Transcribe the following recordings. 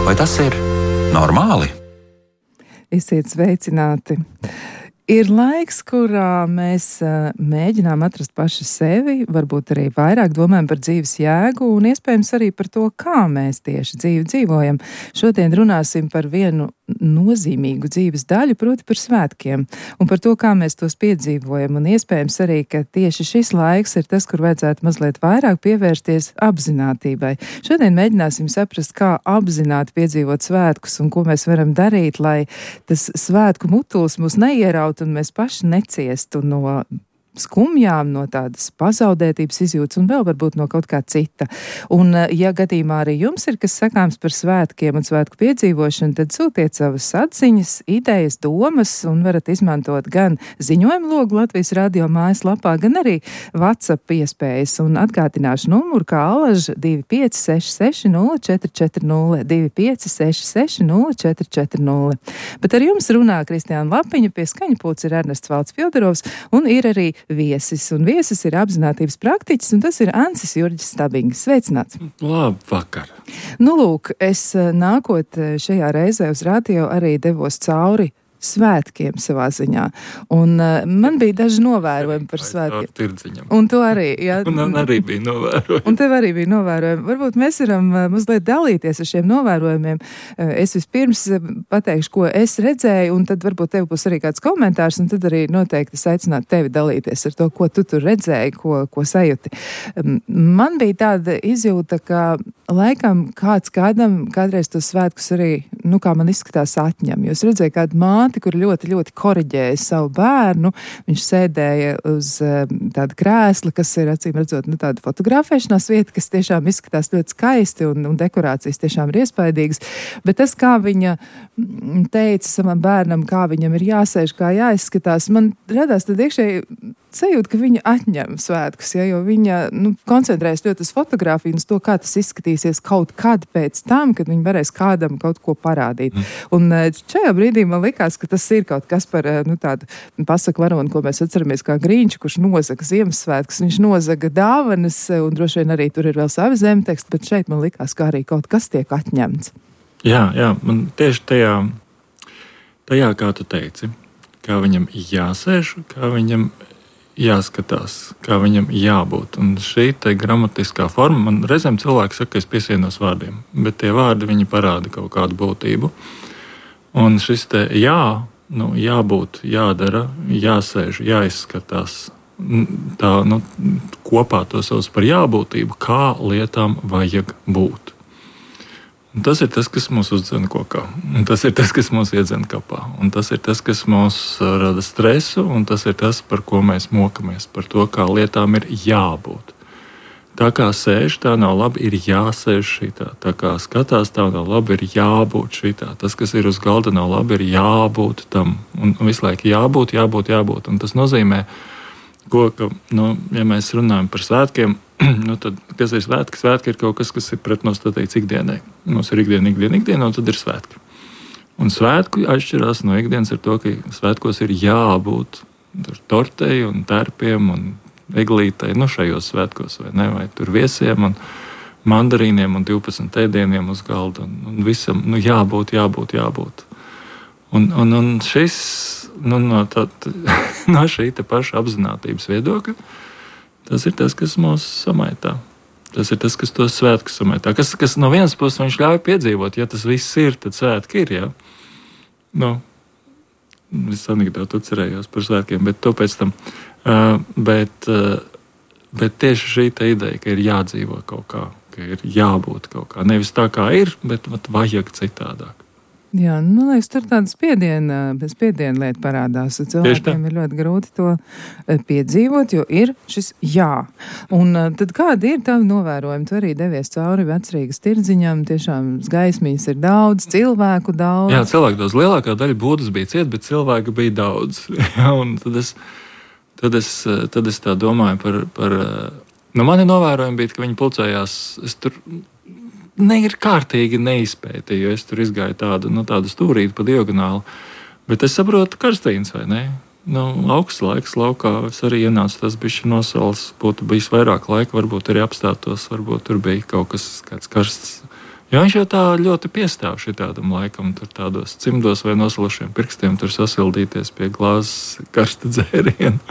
Vai tas ir normāli? Esiet sveicināti! Ir laiks, kurā mēs mēģinām atrast paši sevi, varbūt arī vairāk domājam par dzīves jēgu un iespējams arī par to, kā mēs tieši dzīvi dzīvojam. Šodien runāsim par vienu nozīmīgu dzīves daļu, proti par svētkiem un par to, kā mēs tos piedzīvojam. Un iespējams arī, ka tieši šis laiks ir tas, kur vajadzētu mazliet vairāk pievērsties apzinātībai. Šodien mēģināsim saprast, kā apzināti piedzīvot svētkus un ko mēs varam darīt, lai tas svētku mutulis mūs neierautu un mēs paši neciestu no skumjām, no tādas pazaudētības izjūtas un vēl varbūt no kaut kā cita. Un, ja gadījumā arī jums ir kas sakāms par svētkiem un svētku piedzīvošanu, tad sūtiet savas atziņas, idejas, domas un varat izmantot gan ziņojumu logu Latvijas radio mājaslapā, gan arī WhatsApp iespējas. Un atgādināšu numuru kā alaž 2566 0440, 2566 0440. Bet ar jums runā Kristiāna Lapiņa, pie skaņa pults ir Ernests Valds Fjodorovs un ir arī viesis. Un viesis ir apzinātības praktiķis, un tas ir Ancis Jurģis Stabings. Sveicināts! Labvakar! Nu, lūk, es nākot šajā reizē uz radio arī devos cauri svētkiem savā ziņā. Un man bija daži novērojumi par svētkiem. Un tu arī, jā. Un arī bija novērojumi. Un tev arī bija novērojumi. Varbūt mēs varam mazliet dalīties ar šiem novērojumiem. Es vispirms pateikšu, ko es redzēju, un tad varbūt tev būs arī kāds komentārs, un tad arī noteikti es aicinātu tevi dalīties ar to, ko tu tur redzēji, ko sajūti. Man bija tāda izjūta, ka laikam kādreiz tos svētkus arī, kā man izskatās, atņem. Jo es redzēju kādu māti, kur ļoti, ļoti koriģēja savu bērnu. Viņš sēdēja uz tāda krēsla, kas ir, acīm redzot, tāda fotografēšanās vieta, kas tiešām izskatās ļoti skaisti un dekorācijas tiešām ir iespaidīgas. Bet tas, kā viņa teica savam bērnam, kā viņam ir jāsēž, kā jāizskatās, man radās tad iekšēji sajūta, ka viņa atņem svētkus, jo viņa koncentrējas ļoti uz fotogrāfiju un uz to, kā tas izskatīsies kaut kad pēc tam, kad viņi varēs kādam kaut ko parādīt. Un šajā brīdī man likās, ka tas ir kaut kas par tādu pasaku varoni, ko mēs atceramies kā Grīņš, kurš nozaga Ziemassvētkus. Viņš nozaga dāvanas un droši vien arī tur ir vēl savi zemteksti, bet šeit man likās, ka arī kaut kas tiek atņemts. Jā, man tieši tajā, kā tu teici, kā viņam jāsēž, kā viņam jāskatās, kā viņam jābūt. Un šī te gramatiskā forma, man reizēm cilvēki saka, ka es piesienos vārdiem, bet tie vārdi, viņi parāda kaut kādu būtību. Un šis te jābūt, jādara, jāsēž, jāizskatās, tā, kopā to sauc par jābūtību, kā lietām vajag būt. Un tas ir tas, kas mūs uzdzen kokā, un tas ir tas, kas mūs iedzen kapā, un tas ir tas, kas mūs rada stresu, un tas ir tas, par ko mēs mokamies, par to, kā lietām ir jābūt. Tā kā sēž, tā nav labi, ir jāsēž šitā. Tā kā skatās, tā nav labi, ir jābūt šitā. Tas, kas ir uz galda, nav labi, ir jābūt tam. Un visu laiku jābūt. Un tas nozīmē, ka, ja mēs runājam par svētkiem, tad kas ir svētki? Svētki ir kaut kas, kas ir pretnostatīts ikdienai. Mums ir ikdiena, un tad ir svētki. Un svētki atšķirās no ikdienas ar to, ka svētkos ir jābūt tortei un tērpiem un eglītei, šajos svētkos, vai tur viesiem un mandarīniem un 12 ēdieniem uz galda. Un visam jābūt. Un šis, no šī te paša apzinātības viedokļa, tas ir tas, kas mūs samaitā. Tas ir tas, kas tos svētkus samaitā. Kas no vienas puses viņš ļauj piedzīvot, ja tas viss ir, tad svētki ir, jā. Es anekdotu atcerējos par svētkiem, bet to pēc tam. Bet tieši šī te ideja, ka ir jādzīvo kaut kā, ka ir jābūt kaut kā. Nevis tā kā ir, bet vajag citādāk. Jā, liekas, tur tāda spiediena lieta parādās. Cilvēkiem ir ļoti grūti to piedzīvot, jo ir šis jā. Un tad kādi ir tavi novērojumi? Tu arī devies cauri Vecrīgas tirdziņam, tiešām gaismiņas ir daudz, cilvēku daudz. Jā, cilvēku daudz. Lielākā daļa būdas bija ciet, bet cilvēku bija daudz. Un tad es tā domāju par mani novērojumi bija, ka viņi pulcējās, es tur ir kārtīgi neizpētīju, jo es tur izgāju tādu stūrīti pa diagonāli. Bet es saprotu karstīns, vai ne? Augsts laiks laukā, es arī ienācu, tas bišķi nosals, būtu bijis vairāk laika, varbūt arī apstātos, varbūt tur bija kaut kas, kāds karsts Jo viņš jau tā ļoti piestāv šitādam laikam, tur tādos cimdos vai nosalošiem pirkstiem tur sasildīties pie glāzes karsta dzēriena.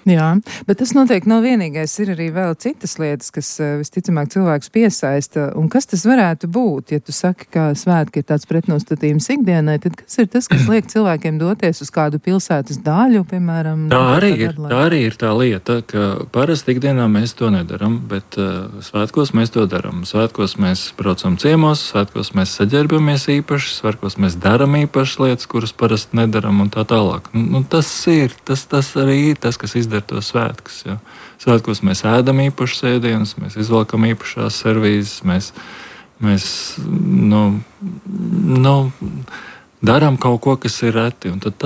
Jā, bet tas noteikti nav vienīgais. Ir arī vēl citas lietas, kas visticamāk cilvēkus piesaista. Un kas tas varētu būt? Ja tu saki, ka svētki ir tāds pretnostatījums ikdienai, tad kas ir tas, kas liek cilvēkiem doties uz kādu pilsētas daļu, piemēram? Tā arī ir tā lieta, ka parasti ikdienā mēs to nedaram, bet svētkos mēs to daram. Svētkos mēs braucam ciemos, svētkos mēs saģērbamies īpaši, svētkos mēs daram īpašas lietas, kuras parasti nedaram un tā tālāk. Tas arī ir tas, kas izdara tos svētkus. Ja. Svētkos mēs ēdam īpašas ēdienas, mēs izvelkam īpašās servīzes, mēs darām kaut ko, kas ir reti. Un tad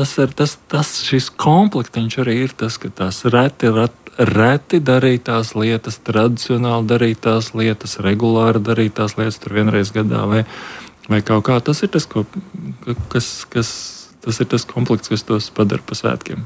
šis komplektiņš arī ir tas, ka tās reti darītās lietas, tradicionāli darītās lietas, regulāri darītās lietas, tur vienreiz gadā vai kaut kā. Tas ir tas, tas ir tas komplekts, kas tos padara pa svētkiem.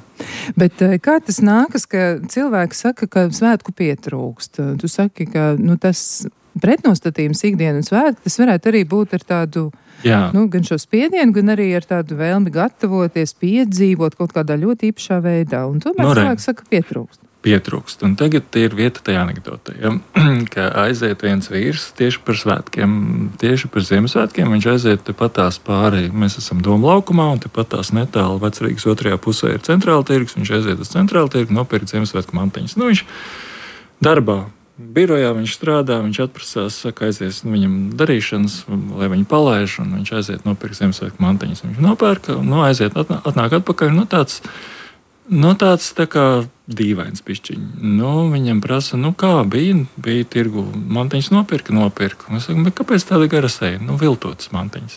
Bet kā tas nākas, ka cilvēki saka, ka svētku pietrūkst? Tu saki, ka tas pretnostatījums ikdienu un svētku, tas varētu arī būt ar tādu, gan šo spiedienu, gan arī ar tādu vēlmi gatavoties, piedzīvot kaut kādā ļoti īpašā veidā. Un tomēr cilvēki saka, pietrūkst. Un tagad ir vieta tajā anekdotē, ka aiziet viens vīrs tieši par svētkiem, tieši par Ziemassvētkiem, viņš aiziet tepatās pāri, mēs esam Doma laukumā, un tepatās netālu Vecrīgas otrajā pusē ir centrāla tirgus, viņš aiziet uz centrāla tirgu, nopirkt Ziemassvētku mantiņas. Viņš darbā, birojā viņš strādā, viņš atprasās, saka, aizies viņam darīšanas, lai viņu palaiž, un viņš aiziet nopirkt Ziemassvētku mantiņas. Viņš nopērka, aiziet, atnāk atpakaļ, tāds tā kā dīvains pišķiņ. Viņam prasa, kā bija tirgu, mantiņas nopirka. Es saku, bet kāpēc tāda gara seja? Viltotas mantiņas.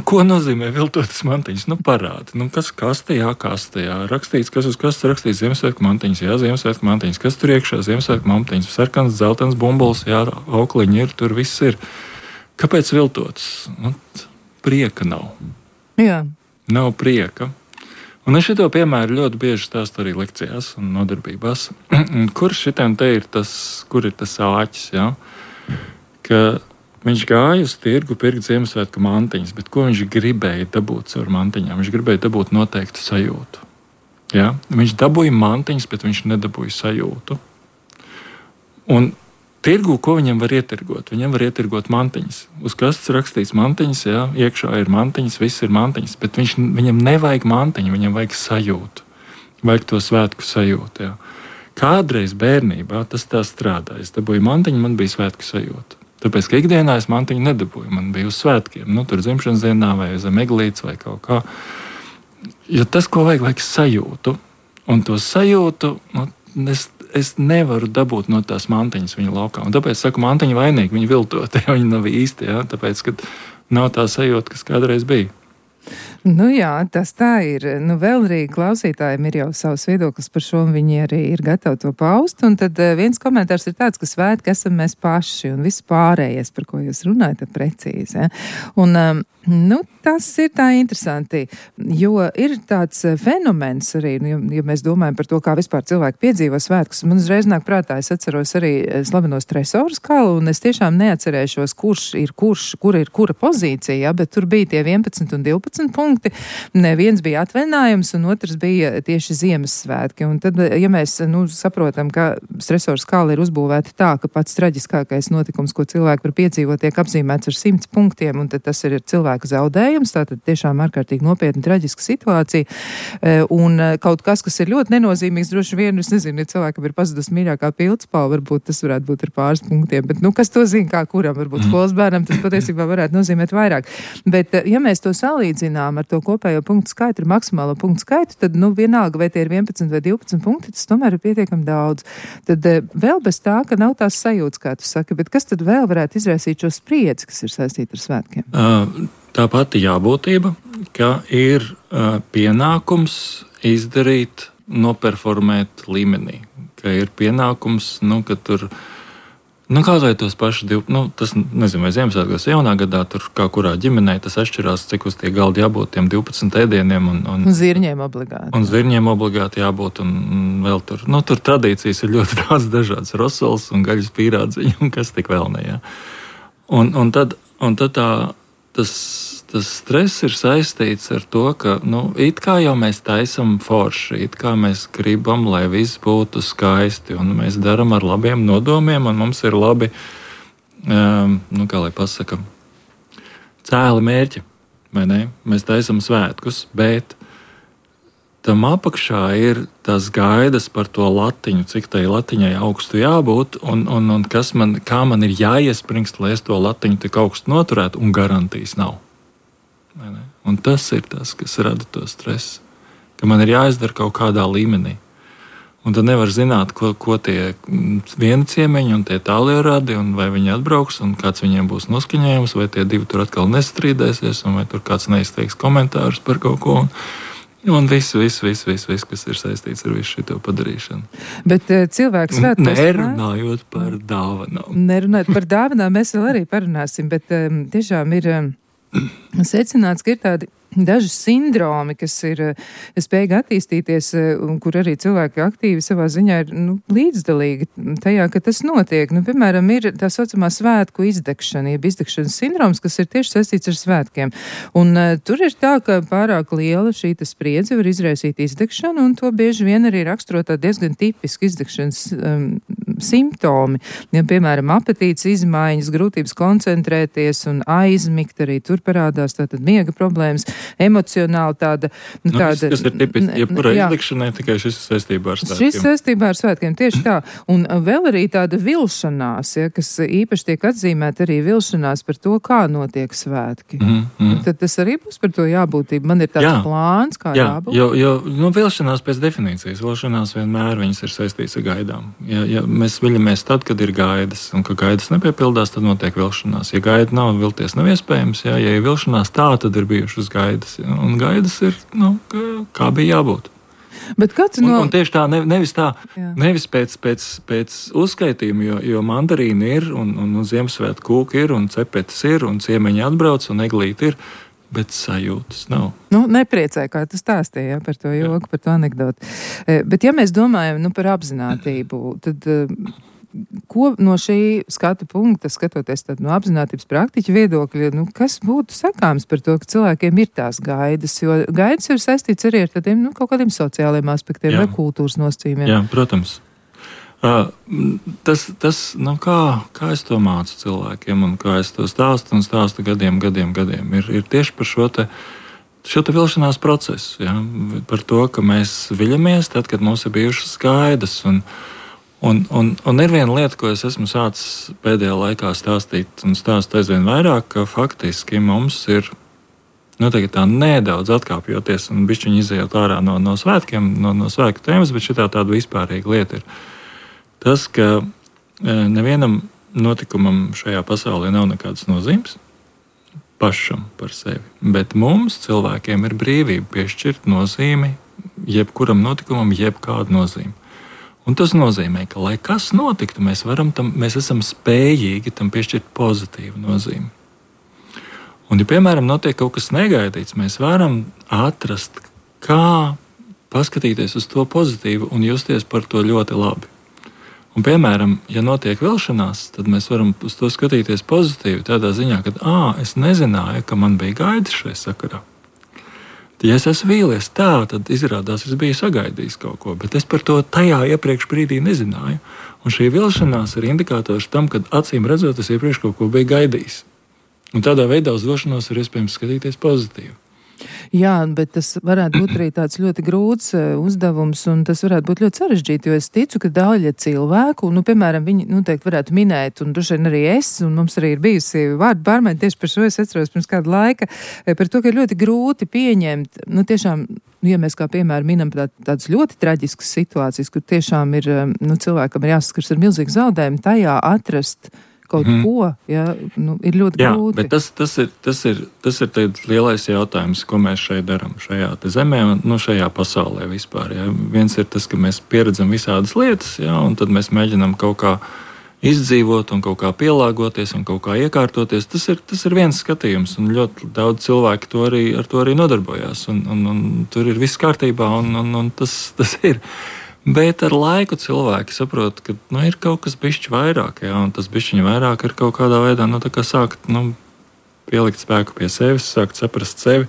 Ko nozīmē viltotas mantiņas? Parādi. Kas tajā kastejā? Rakstīts, kas uz kastes rakstīts Ziemassvētku mantiņas. Jā, Ziemassvētku mantiņas. Kas tur iekšā? Ziemassvētku mantiņas. Sarkans, zeltens bumbulis, jā, aukliņi ir, tur viss ir. Kāpēc viltotas? Prieka nav. Jā. Nav prieka. Un es šito piemēru ļoti bieži stāstu arī lekcijās un nodarbībās. Kur šitam te ir tas āķis, ja? Ka viņš gāja uz tirgu pirkt Ziemassvētku mantiņas, bet ko viņš gribēja dabūt caur mantiņām? Viņš gribēja dabūt noteiktu sajūtu. Ja? Viņš dabūja mantiņas, bet viņš nedabūja sajūtu. Un tirgu, ko viņam var ietirgot? Viņam var ietirgot mantiņas. Uz kastes rakstīts mantiņas, jā, iekšā ir mantiņas, viss ir mantiņas, bet viņam nevajag mantiņu, viņam vajag sajūtu. Vajag to svētku sajūtu, jā. Kādreiz bērnībā tas tā strādāja. Es dabūju mantiņu, man bija svētku sajūta. Tāpēc, ka ikdienā es mantiņu nedabūju, man bija uz svētkiem, tur dzimšanas dienā vai zem eglītes vai kaut kā. Jo tas, ko vajag sajūtu, un to sajūtu, es nevaru dabūt no tās mantiņas viņa laukā. Un tāpēc saku, mantiņa vainīgi, viņa viltoti, ja viņi nav īsti, ja? Tāpēc, ka nav tā sajūta, kas kādreiz bija. Jā, tas tā ir. Vēl arī klausītājiem ir jau savs viedoklis par šo, un viņi arī ir gatavi to paust. Un tad viens komentārs ir tāds, ka svētki esam mēs paši, un viss pārējais, par ko jūs runājat, ir precīzi. Ja? Un tas ir tā interesanti, jo ir tāds fenomens arī, ja mēs domājam par to, kā vispār cilvēki piedzīvo svētkus. Man uzreiz nāk prātā, es atceros arī slaveno stresoru skalu, un es tiešām neatcerēšos, kura ir kura pozīcija, ja? Bet tur bija tie 11 un 12 punkti. Viens bija atvaļinājums, un otrs bija tieši Ziemassvētki. Un tad, ja mēs saprotam, ka stresoru skala ir uzbūvēta tā, ka pats traģiskākais notikums, ko cilvēki var piedzīvot, tiek apzīmēts ar 100 punktiem, un tad tas ir cilvēku zaudējums, tātad tiešām ārkārtīgi nopietna traģiska situācija. Un kaut kas ir ļoti nenozīmīgs, droši vien, es nezinu, ja cilvēkam ir pazudus mīļākā pildspalva, varbūt tas varētu būt ar pāris punktiem, bet kas to zina, kā kuram, varbūt skolas bērnam, tas patiesībā varētu nozīmēt vairāk. Bet, ja mēs to salīdzinām ar to kopējo punktu skaitu, ar maksimālo punktu skaitu, tad, vienalga, vai tie ir 11 vai 12 punkti, tas tomēr ir pietiekami daudz. Tad vēl bez tā, ka nav tās sajūtas, kā tu saki, bet kas tad vēl varētu izraisīt šo spriedzi, kas ir saistīta ar svētkiem? Tā pati jābūtība, ka ir pienākums izdarīt, noperformēt līmenī, ka ir pienākums, ka tur, kaut vai tos paši tas, nezinu, vai Ziemassvētkos jaunā gadā, tur kā kurā ģimenē, tas atšķirās, cik uz tie galdi jābūt tiem 12 ēdieniem. Un zirņiem obligāti. Un zirņiem obligāti jābūt, un vēl tur, tur tradīcijas ir ļoti daudz dažādas, rosols un gaļas pīrādziņi, un kas tik vēl ne, jā. Un tad tas stress ir saistīts ar to, ka it kā jau mēs taisam forši, it kā mēs gribam, lai viss būtu skaisti, un mēs darām ar labiem nodomiem, un mums ir labi, kā lai pasaka, cēli mērķi, vai ne? Mēs taisam svētkus, bet tam apakšā ir tās gaidas par to latiņu, cik tai latiņai augstu jābūt, un kā man ir jāiespringst, lai es to latiņu tik augstu noturētu, un garantijas nav. Un tas ir tas, kas rada to stresu, ka man ir jāizdara kaut kādā līmenī. Un tad nevar zināt, ko tie vieni ciemiņi un tie tālie radi, un vai viņi atbrauks, un kāds viņiem būs noskaņojums, vai tie divi tur atkal nestrīdēsies, un vai tur kāds neizteiks komentārus par kaut ko. Un viss, kas ir saistīts ar visu šo padarīšanu. Bet cilvēks svētkos... Nerunājot par dāvanām. Nerunājot par dāvanām, mēs vēl arī parunāsim, bet tiešām ir secināts, ka ir tādi daži sindromi, kas ir spējīgi attīstīties, un kur arī cilvēki aktīvi savā ziņā ir līdzdalīgi tajā, ka tas notiek. Piemēram, ir tā saucamā svētku izdegšana, jeb izdegšanas sindroms, kas ir tieši saistīts ar svētkiem. Un tur ir tā, ka pārāk liela šī spriedze var izraisīt izdegšanu, un to bieži vien arī raksturot diezgan tipiski izdegšanas simptomi. Ja, piemēram, apetītes izmaiņas, grūtības koncentrēties un aizmigt, arī tur parādās tātad miega problēmas. Emocionāli tāda... Tas ir tipiski, jebkurai izdegšanai, tikai šis ir saistībā ar svētkiem. Šis saistībā ar svētkiem, tieši tā. Un vēl arī tāda vilšanās, kas īpaši tiek atzīmēta arī vilšanās par to, kā notiek svētki. Tad tas arī būs par to jābūtību. Man ir tāds plāns, kā jābūt. Jo vilšanās pēc definīcijas. Vilšanās vienmēr viņas ir saistīts ar gaidām. Ja mēs viļamies tad, kad ir gaidas, un ka gaidas nepiepildās, tad notiek vilšanās. Ja gaida nav, vilties nav iespējams. Ja ir vilšanās, tā tad ir bijušas gaidas. Un gaidas ir, kā bija jābūt. Bet un tieši tā, nevis pēc uzskaitījuma, jo mandarīni ir, un Ziemassvētku kūki ir, un cepetes ir, un ciemiņi atbrauc, un eglīti ir, bet sajūtas nav. Nepriecē, kā tu stāstīji par to joku, par to anekdoti. Bet ja mēs domājam par apzinātību, tad... Ko no šī skatu punkta, skatoties no apzinātības praktiķa viedokļa, kas būtu sakāms par to, ka cilvēkiem ir tās gaidas? Jo gaidas ir saistīts arī ar tādiem kaut kādiem sociāliem aspektiem vai kultūras nosacījumiem. Jā, protams. Tas kā es to mācu cilvēkiem un kā es to stāstu gadiem. Ir tieši par šo te vilšanās procesu. Ja? Par to, ka mēs viļamies tad, kad mums ir bijušas gaidas. Un ir viena lieta, ko es esmu sācis pēdējā laikā stāstīt, un stāstu aizvien vairāk, ka faktiski mums ir tā nedaudz atkāpjoties un bišķiņi izejot ārā no svētkiem, no svētku tēmas, bet šitā tāda vispārīga lieta ir tas, ka nevienam notikumam šajā pasaulē nav nekādas nozīmes pašam par sevi, bet mums cilvēkiem ir brīvība piešķirt nozīmi jebkuram notikumam, jebkādu nozīmi. Un tas nozīmē, ka, lai kas notiktu, mēs esam spējīgi tam piešķirt pozitīvu nozīmi. Un, ja, piemēram, notiek kaut kas negaidīts, mēs varam atrast, kā paskatīties uz to pozitīvu un justies par to ļoti labi. Un, piemēram, ja notiek vilšanās, tad mēs varam uz to skatīties pozitīvi tādā ziņā, ka es nezināju, ka man bija gaidas šai sakarā. Ja es esmu vīlies tā, tad izrādās, es biju sagaidījis kaut ko, bet es par to tajā iepriekš brīdī nezināju. Un šī vilšanās ir indikators tam, ka acīm redzot, es iepriekš kaut ko biju gaidījis. Un tādā veidā uz vilšanos ir iespējams skatīties pozitīvi. Jā, bet tas varētu būt arī tāds ļoti grūts uzdevums, un tas varētu būt ļoti sarežģīti, jo es ticu, ka daļa cilvēku, piemēram, viņi noteikti varētu minēt, un droši vien arī es, un mums arī ir bijusi vārdu pārmaiņa tieši par šo, es atceros pirms kāda laika, par to, ka ir ļoti grūti pieņemt, tiešām, ja mēs kā piemēram minam tādas ļoti traģiskas situācijas, kur tiešām ir, cilvēkam ir jāsaskars ar milzīgu zaudējumu, tajā atrast kaut ko, ir ļoti grūti. Bet tas ir lielais jautājums, ko mēs šeit darām, šajā zemē un šajā pasaulē vispār. Ja. Viens ir tas, ka mēs pieredzam visādas lietas, un tad mēs mēģinām kaut kā izdzīvot un kaut kā pielāgoties un kaut kā iekārtoties. Tas ir viens skatījums, un ļoti daudz cilvēku ar to arī nodarbojās, un tur ir viss kārtībā, un tas ir. Bet ar laiku cilvēki saprot, ka ir kaut kas bišķi vairāk, jā, un tas bišķiņi vairāk ir kaut kādā veidā, tā kā sākt pielikt spēku pie sevis, sākt saprast sevi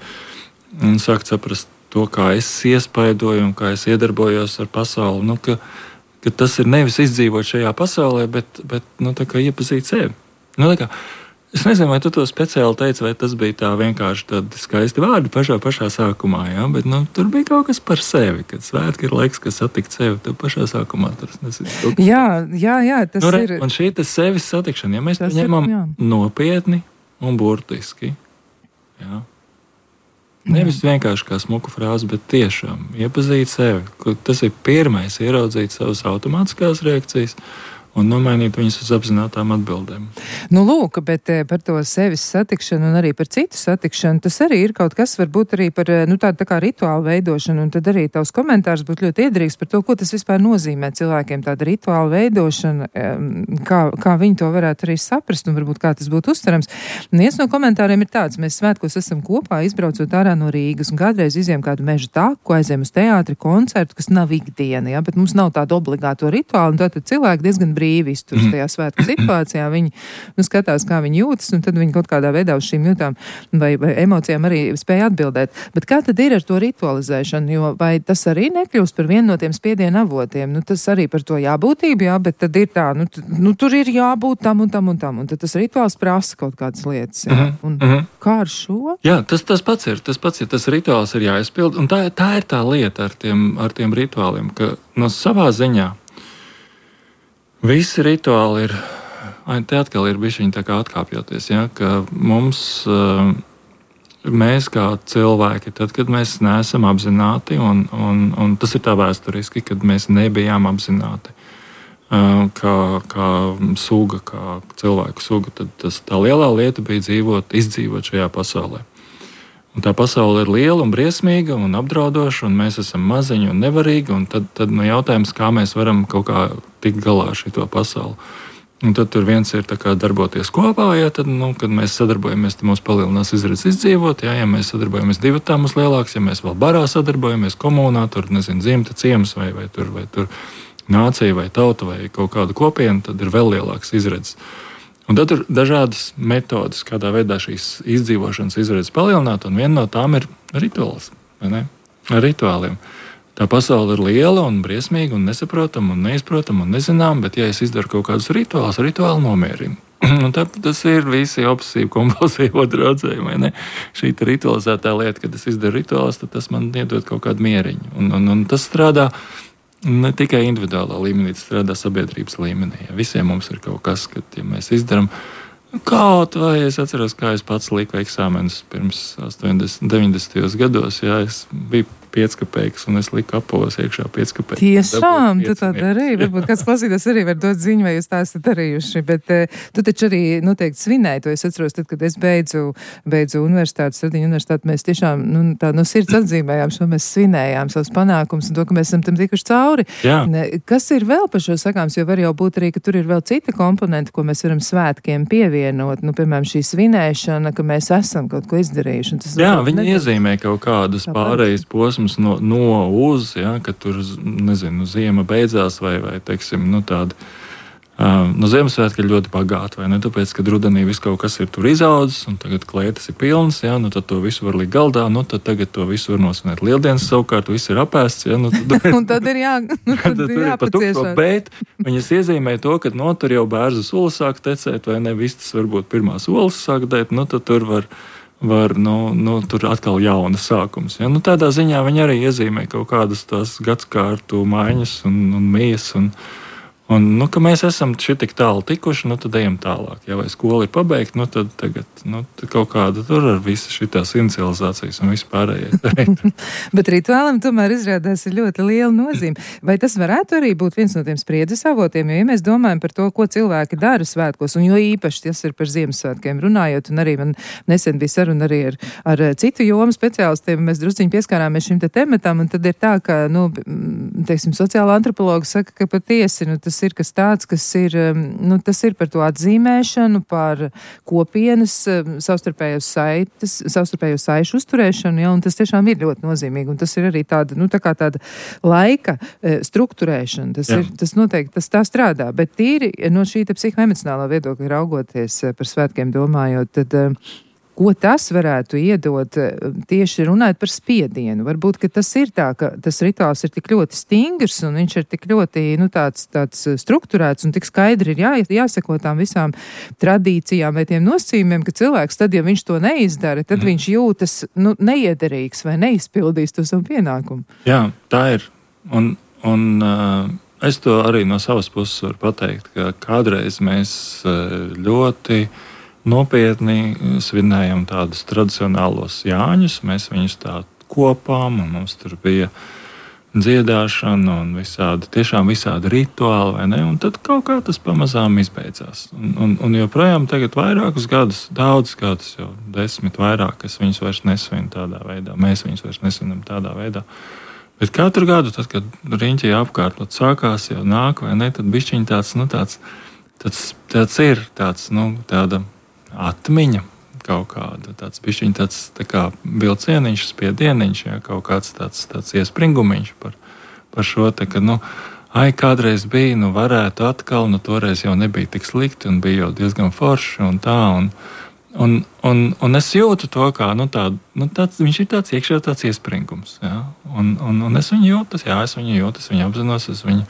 un sākt saprast to, kā es iespaidoju un kā es iedarbojos ar pasauli. Ka tas ir nevis izdzīvot šajā pasaulē, bet tā kā iepazīt sevi. Es nezinu, vai tu to speciāli teici, vai tas bija tā vienkārši tādi skaisti vārdi pašā sākumā, jā, bet tur bija kaut kas par sevi, kad svētki ir laiks, kas satikt sevi, tad pašā sākumā tur nezinu. Jā, tas ir. Un šī tas sevis satikšana, ja mēs to ņemam nopietni un burtiski, jā. Nevis vienkārši kā smuku frāzi, bet tiešām iepazīt sevi. Tas ir pirmais, ieraudzīt savas automātiskās reakcijas un nomainīt viņus uz apzinātām atbildēm. Lūk, bet par to sevis satikšanu un arī par citu satikšanu, tas arī ir kaut kas, varbūt arī par tādu tā kā rituālu veidošanu, un tad arī tavs komentārs būtu ļoti iederīgs par to, ko tas vispār nozīmē cilvēkiem, tāda rituāla veidošana, kā viņi to varētu arī saprast un varbūt kā tas būtu uztverams. Viens no komentāriem ir tāds: mēs svētkos esam kopā, izbraucot ārā no Rīgas, un kādreiz izējām kādu meža taku, aizējām uz teātri, koncertu, kas nav ikdiena, ja, bet mums nav tādu obligāto rituālu, un tātad cilvēki diezgan brīvi izturas tajā svētku situācijā. Viņi skatās, kā viņi jūtas, un tad viņi kaut kādā veidā uz šīm jūtām vai emocijām arī spēja atbildēt. Bet kā tad ir ar to ritualizēšanu? Jo vai tas arī nekļūst par vienu no tiem spiediena avotiem? Tas arī par to jābūtību, jā, bet tad ir tā, tur ir jābūt tam un tam un tam, un tad tas rituāls prasa kaut kādas lietas. Jā. Kā ar šo? Jā, tas pats ir. Tas rituāls ir jāizpild, un tā ir tā lieta ar tiem rituāliem, ka no savā ziņā visi rituāli ir, te atkal ir bišķiņi tā kā atkāpjoties, ja, ka mēs kā cilvēki, tad, kad mēs neesam apzināti, un tas ir tā vēsturiski, kad mēs nebijām apzināti kā suga, kā cilvēku suga, tad tā lielā lieta bija izdzīvot šajā pasaulē. Un tā pasaule ir liela un briesmīga un apdraudoša, un mēs esam maziņi un nevarīgi, un tad jautājums, kā mēs varam kaut kā tikt galā ar šito pasauli. Un tad tur viens ir tā kā darboties kopā, ja tad, kad mēs sadarbojamies, tad mums palielinās izredzes izdzīvot, ja mēs sadarbojamies divatā mums lielāks, ja mēs vēl barā sadarbojamies komunā, tur, dzimta, ciems vai tur nācija vai tauta vai kaut kāda kopiena, tad ir vēl lielāks izredzes. Un tad ir dažādas metodes, kādā veidā šīs izdzīvošanas izredzes palielināt, un viena no tām ir rituāls, vai ne? Ar rituāliem. Tā pasaule ir liela un briesmīga un nesaprotama un neizprotama un nezinām, bet ja es izdaru kaut kādus rituālus, rituāli nomierina. Un tas ir visi obsesīvi kompulsīvo draudzēji, vai ne? Šī ritualizētā lieta, kad es izdaru rituālus, tad tas man iedod kaut kādu mieriņu. Un tas strādā ne tikai individuālā līmenī, tas strādā sabiedrības līmenī. Ja visiem mums ir kaut kas, kad ja mēs izdarām kaut vai es atceros, kā es pats liku eksāmenus pirms 80, 90. gados. Jā, es biju 5 kopeikas un es liku apavos iekšā 5 kopeikas. Tiešām, tu tā darīji. Varbūt kāds klausītājs arī var dot ziņu, vai jūs tā esat darījuši. Bet tu taču arī noteikti svinēji to. Es atceros, tad, kad es beidzu universitāti, Sardiņu universitāti, mēs tiešām tā no sirds atzīmējām šo, mēs svinējām savus panākumus un to, ka mēs esam tam tikuši cauri. Jā. Kas ir vēl par šo sakāms? Jo var jau būt arī, ka tur ir vēl cita komponenta, ko mēs varam svētkiem pievienot. Piemēram, šī svinēšana, ka mēs esam kaut ko izdarījuši. Jā, viņi iezīmē kaut kādus pārējais posmus no uz, ja, ka tur, nezinu, ziema beidzās vai teiksim, tāda. No Ziemassvētki ir ļoti bagāti, vai ne? Tāpēc, kad rudenī viss kaut kas ir tur izaudzis, un tagad klētas ir pilnas, ja, tad to visu var likt galdā, tad tagad to visu var nosvinēt. Lieldienas savukārt viss ir apēsts, ja, un tad ir jāpaciešās. Bet viņas iezīmē to, ka tur jau bērzu solis sāk tecēt, vai ne? Vistas varbūt pirmā solis sāk dēt, tad tur var tur atkal jaunas sākums. Ja? Tādā ziņā viņi arī iezīmē kaut kādas tās gadsimtu maiņas un mijas. Un ka mēs esam tik tālu tikuši, tad ejam tālāk. Ja vai skola ir pabeigta, tad tagad kaut kāda tur ar visas šitās inicializācijas un vispārējais. Bet rituālam tomēr izrādās ir ļoti liela nozīme. Vai tas varētu arī būt viens no tiem spriedzes avotiem? Jo, ja mēs domājam par to, ko cilvēki dara svētkos, un jo īpaši tas ir par Ziemassvētkiem runājot, un arī man nesen bija saruna arī ar citu jomu speciālistiem, mēs drusciņi pieskārāmies šim te tematam, un tad ir tā, ka, teiksim, sociāla antropologa saka, ka patiesi, tas ir kas tāds, kas ir, tas ir par to atzīmēšanu, par kopienas savstarpējo saišu uzturēšanu, ja, un tas tiešām ir ļoti nozīmīgi, un tas ir arī tāda, tāda laika strukturēšana, tas noteikti, tas tā strādā, bet tīri no šī psihoemocionālā viedokļa raugoties par svētkiem domājot, tad ko tas varētu iedot tieši runājot par spiedienu? Varbūt, ka tas ir tā, ka tas rituāls ir tik ļoti stingrs un viņš ir tik ļoti tāds strukturēts un tik skaidri ir jāseko tām visām tradīcijām vai tiem nosacījumiem, ka cilvēks tad, ja viņš to neizdara, tad viņš jūtas neiederīgs vai neizpildīs to savu pienākumu. Jā, tā ir. Un es to arī no savas puses varu pateikt, ka kādreiz mēs ļoti nopietni svinējam tādus tradicionālos Jāņus. Mēs viņus tā kopām, un mums tur bija dziedāšana un visādi rituāli, vai ne? Un tad kaut kā tas pamazām izbeidzās. Un joprojām tagad vairākus gadus, daudzus gadus, jau 10 vairāk, es viņus vairs nesvinu tādā veidā. Mēs viņus vairs nesvinam tādā veidā. Bet katru gadu, tad, kad riņķi apkārt sākās, jau nāk, vai ne, tad bišķiņ tāds ir tāda atmiņa kaut kāda, tāds bišķiņ tā kā vilcieniņš, spiedieniņš, ja, kaut kāds tāds iespringumiņš par šo te, ka, kādreiz bija, varētu atkal, toreiz jau nebija tik slikti un bija jau diezgan forši un tā, un es jūtu to, kā, viņš ir tāds iekšā tāds iespringums, ja, un es viņu jūtu, es viņu apzinos, es viņu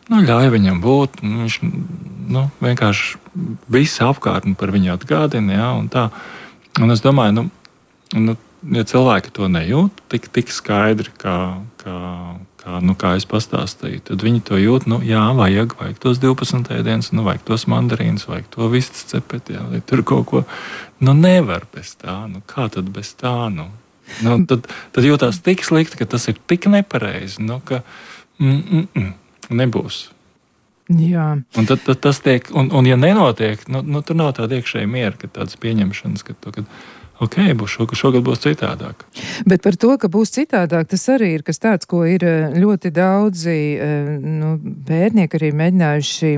ļauj viņam būt, viņš vienkārši visu apkārtni par viņu atgādina, ja, un tā. Un es domāju, ja cilvēki to nejūt tik skaidri, kā es pastāstīju, tad viņi to jūt, vajag tos 12 ēdienus, vajag tos mandarīnus, vajag to vistas cepeti, ja, vai tur kaut ko, nevar bez tā, kā tad bez tā, tad jūtās tik slikti, ka tas ir tik nepareizi, ka nebūs. Jā. Un tad tas tiek, un ja nenotiek, tur nav tāda iekšēja miera, ka tādas pieņemšanas, ka šogad būs citādāk. Bet par to, ka būs citādāk, tas arī ir kas tāds, ko ir ļoti daudzi pētnieki arī mēģinājuši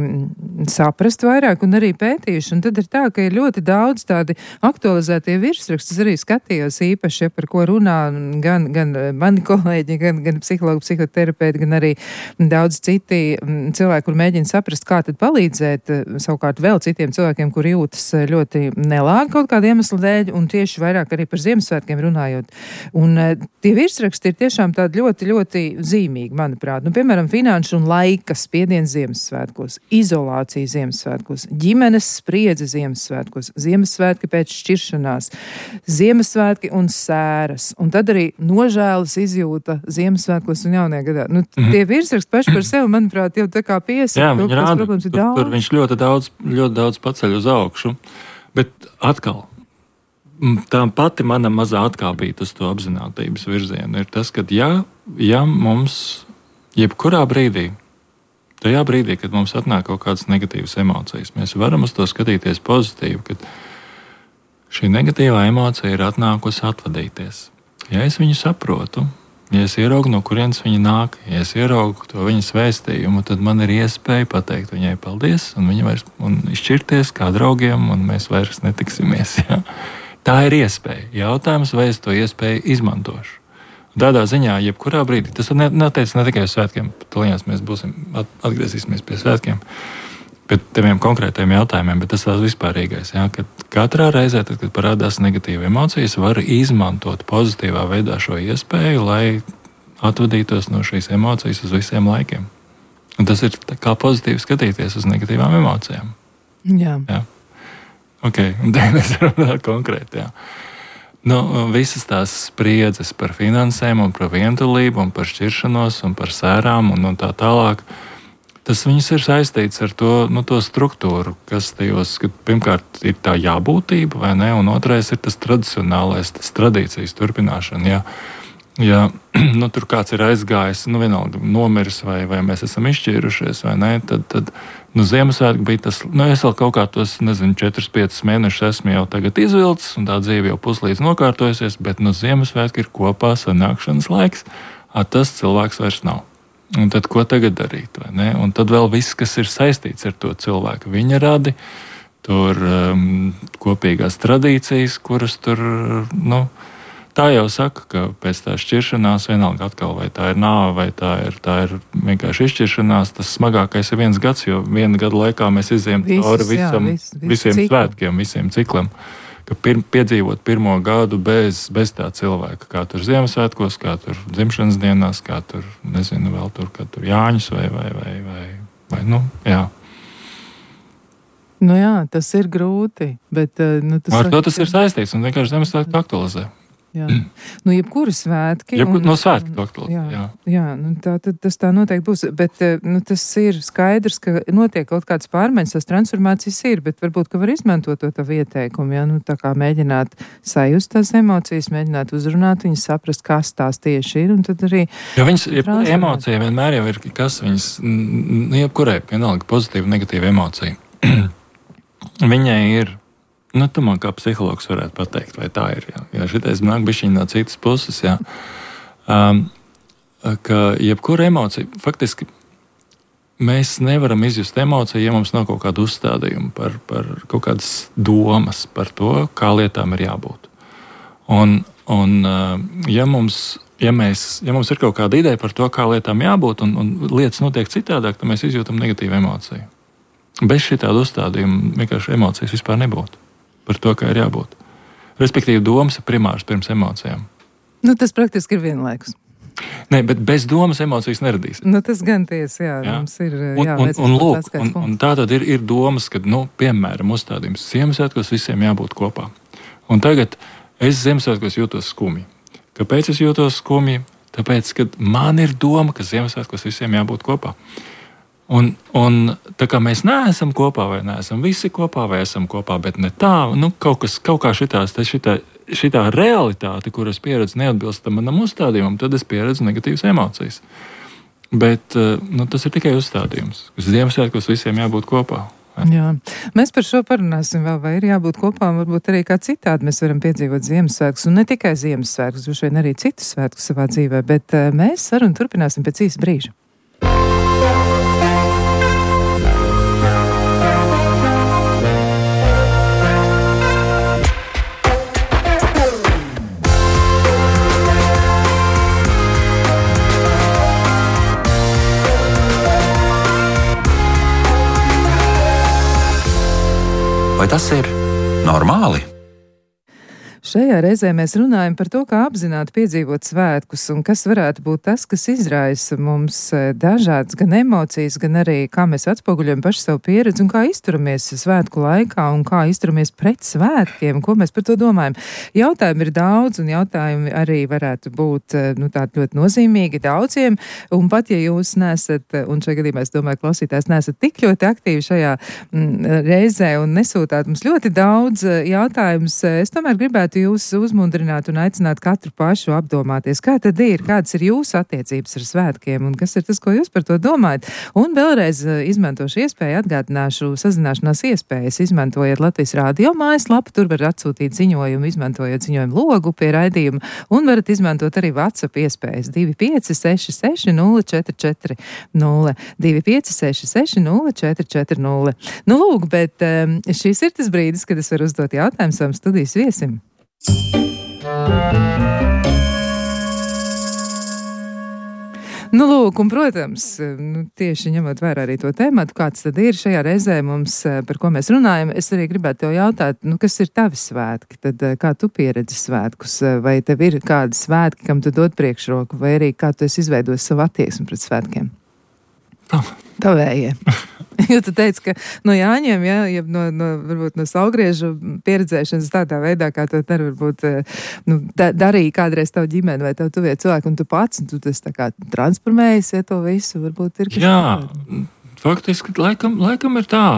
saprast vairāk un arī pētījuši. Un tad ir tā, ka ir ļoti daudz tādi aktualizētie virsraksti. Es arī skatījos īpaši, par ko runā gan mani kolēģi, gan psihologi, psihoterapeiti, gan arī daudz citi cilvēki, kur mēģina saprast, kā tad palīdzēt savukārt vēl citiem cilvēkiem, kur jūtas ļoti nelāgi kaut kādu iemeslu dēļ, un tieši vairāk arī par Ziemassvētkiem runājot. Un tie virsraksti ir tiešām tādi ļoti, ļoti zīmīgi, manuprāt. Piemēram, finanšu un laika spiediens Ziemassvētkos, izolācija Ziemassvētkos, ģimenes spriedze Ziemassvētkos, Ziemassvētki pēc šķiršanās, Ziemassvētki un sēras, un tad arī nožēlas izjūta Ziemassvētkos un jaunajā gadā. Tie virsraksti paši par sevi, manuprāt, jau tā kā piesaka. Jā, viņi rāda, tur viņš ļoti daudz paceļ uz augšu, bet atkal, tā pati mana mazā atkāpīta uz to apzinātības virzienu ir tas, ka ja mums jebkurā brīdī, tajā brīdī, kad mums atnāk kaut kādas negatīvas emocijas, mēs varam uz to skatīties pozitīvi, ka šī negatīvā emocija ir atnākusi atvadīties. Ja es viņu saprotu, ja es ieraugu, no kurienes viņa nāk, ja es ieraugu to viņas vēstījumu, tad man ir iespēja pateikt viņai paldies un izšķirties kā draugiem, un mēs vairs netiksimies. Ja? Tā ir iespēja. Jautājums, vai es to iespēju izmantošu. Tādā ziņā, jebkurā brīdī, tas neteica ne tikai uz svētkiem, tūlīņās mēs atgriezīsimies pie svētkiem, pie tiem konkrētiem jautājumiem, bet tas tās vispārīgais. Ja, ka katrā reizē, tad, kad parādās negatīva emocijas, var izmantot pozitīvā veidā šo iespēju, lai atvadītos no šīs emocijas uz visiem laikiem. Un tas ir kā pozitīvi skatīties uz negatīvām emocijām. Jā. Ja. Ok, un tad mēs runājam konkrēti, jā. Visas tās spriedzes par finansēm un par vientulību un par šķiršanos un par sērām un tā tālāk, tas viņas ir saistīts ar to struktūru, kas tajos, ka pirmkārt ir tā jābūtība, vai ne, un otrais ir tas tradicionālais, tas tradīcijas turpināšana, ja tur kāds ir aizgājis, vienalga nomiris vai mēs esam izšķīrušies, vai ne, tad Ziemassvētki bija tas, es vēl kaut kā tos, 4-5 mēnešus esmu jau tagad izvilcis, un tā dzīve jau puslīdz nokārtojusies, bet Ziemassvētki ir kopā sanākšanas laiks, tas cilvēks vairs nav. Un tad ko tagad darīt? Vai ne? Un tad vēl viss, kas ir saistīts ar to cilvēku, viņa radi, tur kopīgās tradīcijas, kuras tur, tā jau saka, ka pēc tā šķiršanās vienalga atkal, vai tā ir nāve, vai tā ir vienkārši izšķiršanās, tas smagākais ir 1 gads, jo 1 gada laikā mēs izējam cauri visiem svētkiem, visiem ciklam. Ka piedzīvot 1. gadu bez tā cilvēka, kā tur Ziemassvētkos, kā tur dzimšanas dienās, kā tur, nezinu, vēl tur, kā tur Jāņus vai jā. Jā, tas ir grūti, bet... Ar to tas ir saistīts un vienkārši Ziemassvētku aktualizē. Jā. Jebkuri svētki. No svētku to aktualizē, jā. Tas tā noteikti būs, bet tas ir skaidrs, ka notiek kaut kādas pārmaiņas, tās transformācijas ir, bet varbūt, ka var izmantot to tavu ieteikumu, tā kā mēģināt sajust tās emocijas, mēģināt uzrunāt viņas, saprast, kas tās tieši ir, un tad arī... Jo viņas, emocija vienmēr jau ir, kas viņas, jebkurai, vienalga, pozitīva, negatīva emocija. Viņai ir... tu man kā psihologs varētu pateikt, vai tā ir. Jā, šitais nāk bišķiņ no citas puses, jā. Ka jebkura emocija, faktiski mēs nevaram izjust emociju, ja mums nav kaut kāda uzstādījuma par kaut kādas domas par to, kā lietām ir jābūt. Un ja mums ir kaut kāda ideja par to, kā lietām jābūt, un lietas notiek citādāk, tad mēs izjūtam negatīvu emociju. Bez šitāda uzstādījuma vienkārši emocijas vispār nebūtu. Par to, kā ir jābūt. Respektīvi, domas ir primārs pirms emocijām. Tas praktiski ir vienlaikus. Nē, bet bez domas emocijas neradīs. Tas gan tiesa, jā. Mums ir un tā tad ir domas, kad, piemēram, uzstādījums Ziemassvētkos visiem jābūt kopā. Un tagad es Ziemassvētkos jūtos skumji. Kāpēc es jūtos skumji? Tāpēc, kad man ir doma, ka Ziemassvētkos visiem jābūt kopā. Un tā kā mēs neesam kopā, vai neesam visi kopā, vai esam kopā, bet ne tā, kaut kā šitā realitāte, kuras pieredzu neatbilsta manam uzstādījumam, tad es pieredzu negatīvas emocijas. Bet tas ir tikai uzstādījums, kas Ziemassvētkos visiem jābūt kopā. Jā. Mēs par šo parunāsim vēl, vai ir jābūt kopā, varbūt arī kā citādi mēs varam piedzīvot Ziemassvētkus, un ne tikai Ziemassvētkus, droši vien arī citus svētkus savā dzīvē, bet mēs sarunu turpināsim pēc īsa brīža. Vai tas ir normāli? Šajā reizē mēs runājam par to, kā apzināti piedzīvot svētkus un kas varētu būt tas, kas izraisa mums dažādas gan emocijas, gan arī kā mēs atspoguļojam paši savu pieredzi un kā izturamies svētku laikā un kā izturamies pret svētkiem, ko mēs par to domājam. Jautājumi ir daudz un jautājumi arī varētu būt tādi ļoti nozīmīgi daudziem, un pat ja jūs nesat, un šajā gadījumā es domāju, klausītājs nesat tik ļoti aktīvi šajā reizē un nesūtāt mums ļoti daudz jautājumus, es tomēr gribētu jūs uzmundrināt un aicināt katru pašu apdomāties, kā tad ir, kādas ir jūsu attiecības ar svētkiem un kas ir tas, ko jūs par to domājat. Un vēlreiz izmantošu iespēju, atgādināšu sazināšanās iespējas, izmantojot Latvijas Rādio mājaslapu, tur var atsūtīt ziņojumu, izmantojot ziņojumu logu pie raidījuma, un varat izmantot arī WhatsApp iespējas 2566 044 0, 2566 044 0. Lūk, bet šis ir tas brīdis, kad es varu uzdot jautājumu savam studijas viesim. Lūk, un, protams, tieši ņemot vērā arī to tēmatu, kāds tad ir šajā reizē mums, par ko mēs runājam, es arī gribētu tev jautāt, kas ir tavi svētki, tad kā tu pieredzi svētkus, vai tev ir kādi svētki, kam tu dod priekšroku, vai arī kā tu esi izveidojis savu attieksmi pret svētkiem? Tavējie. Jo tu teici, ka no Jāņiem, varbūt no saulgriežu pieredzēšanas tādā veidā, kā to varbūt darīja kādreiz tavu ģimeni vai tavu tuvie cilvēki, un tu pats, un tu tas tā kā transformējies, to visu, varbūt ir kas Jā, faktiski laikam ir tā.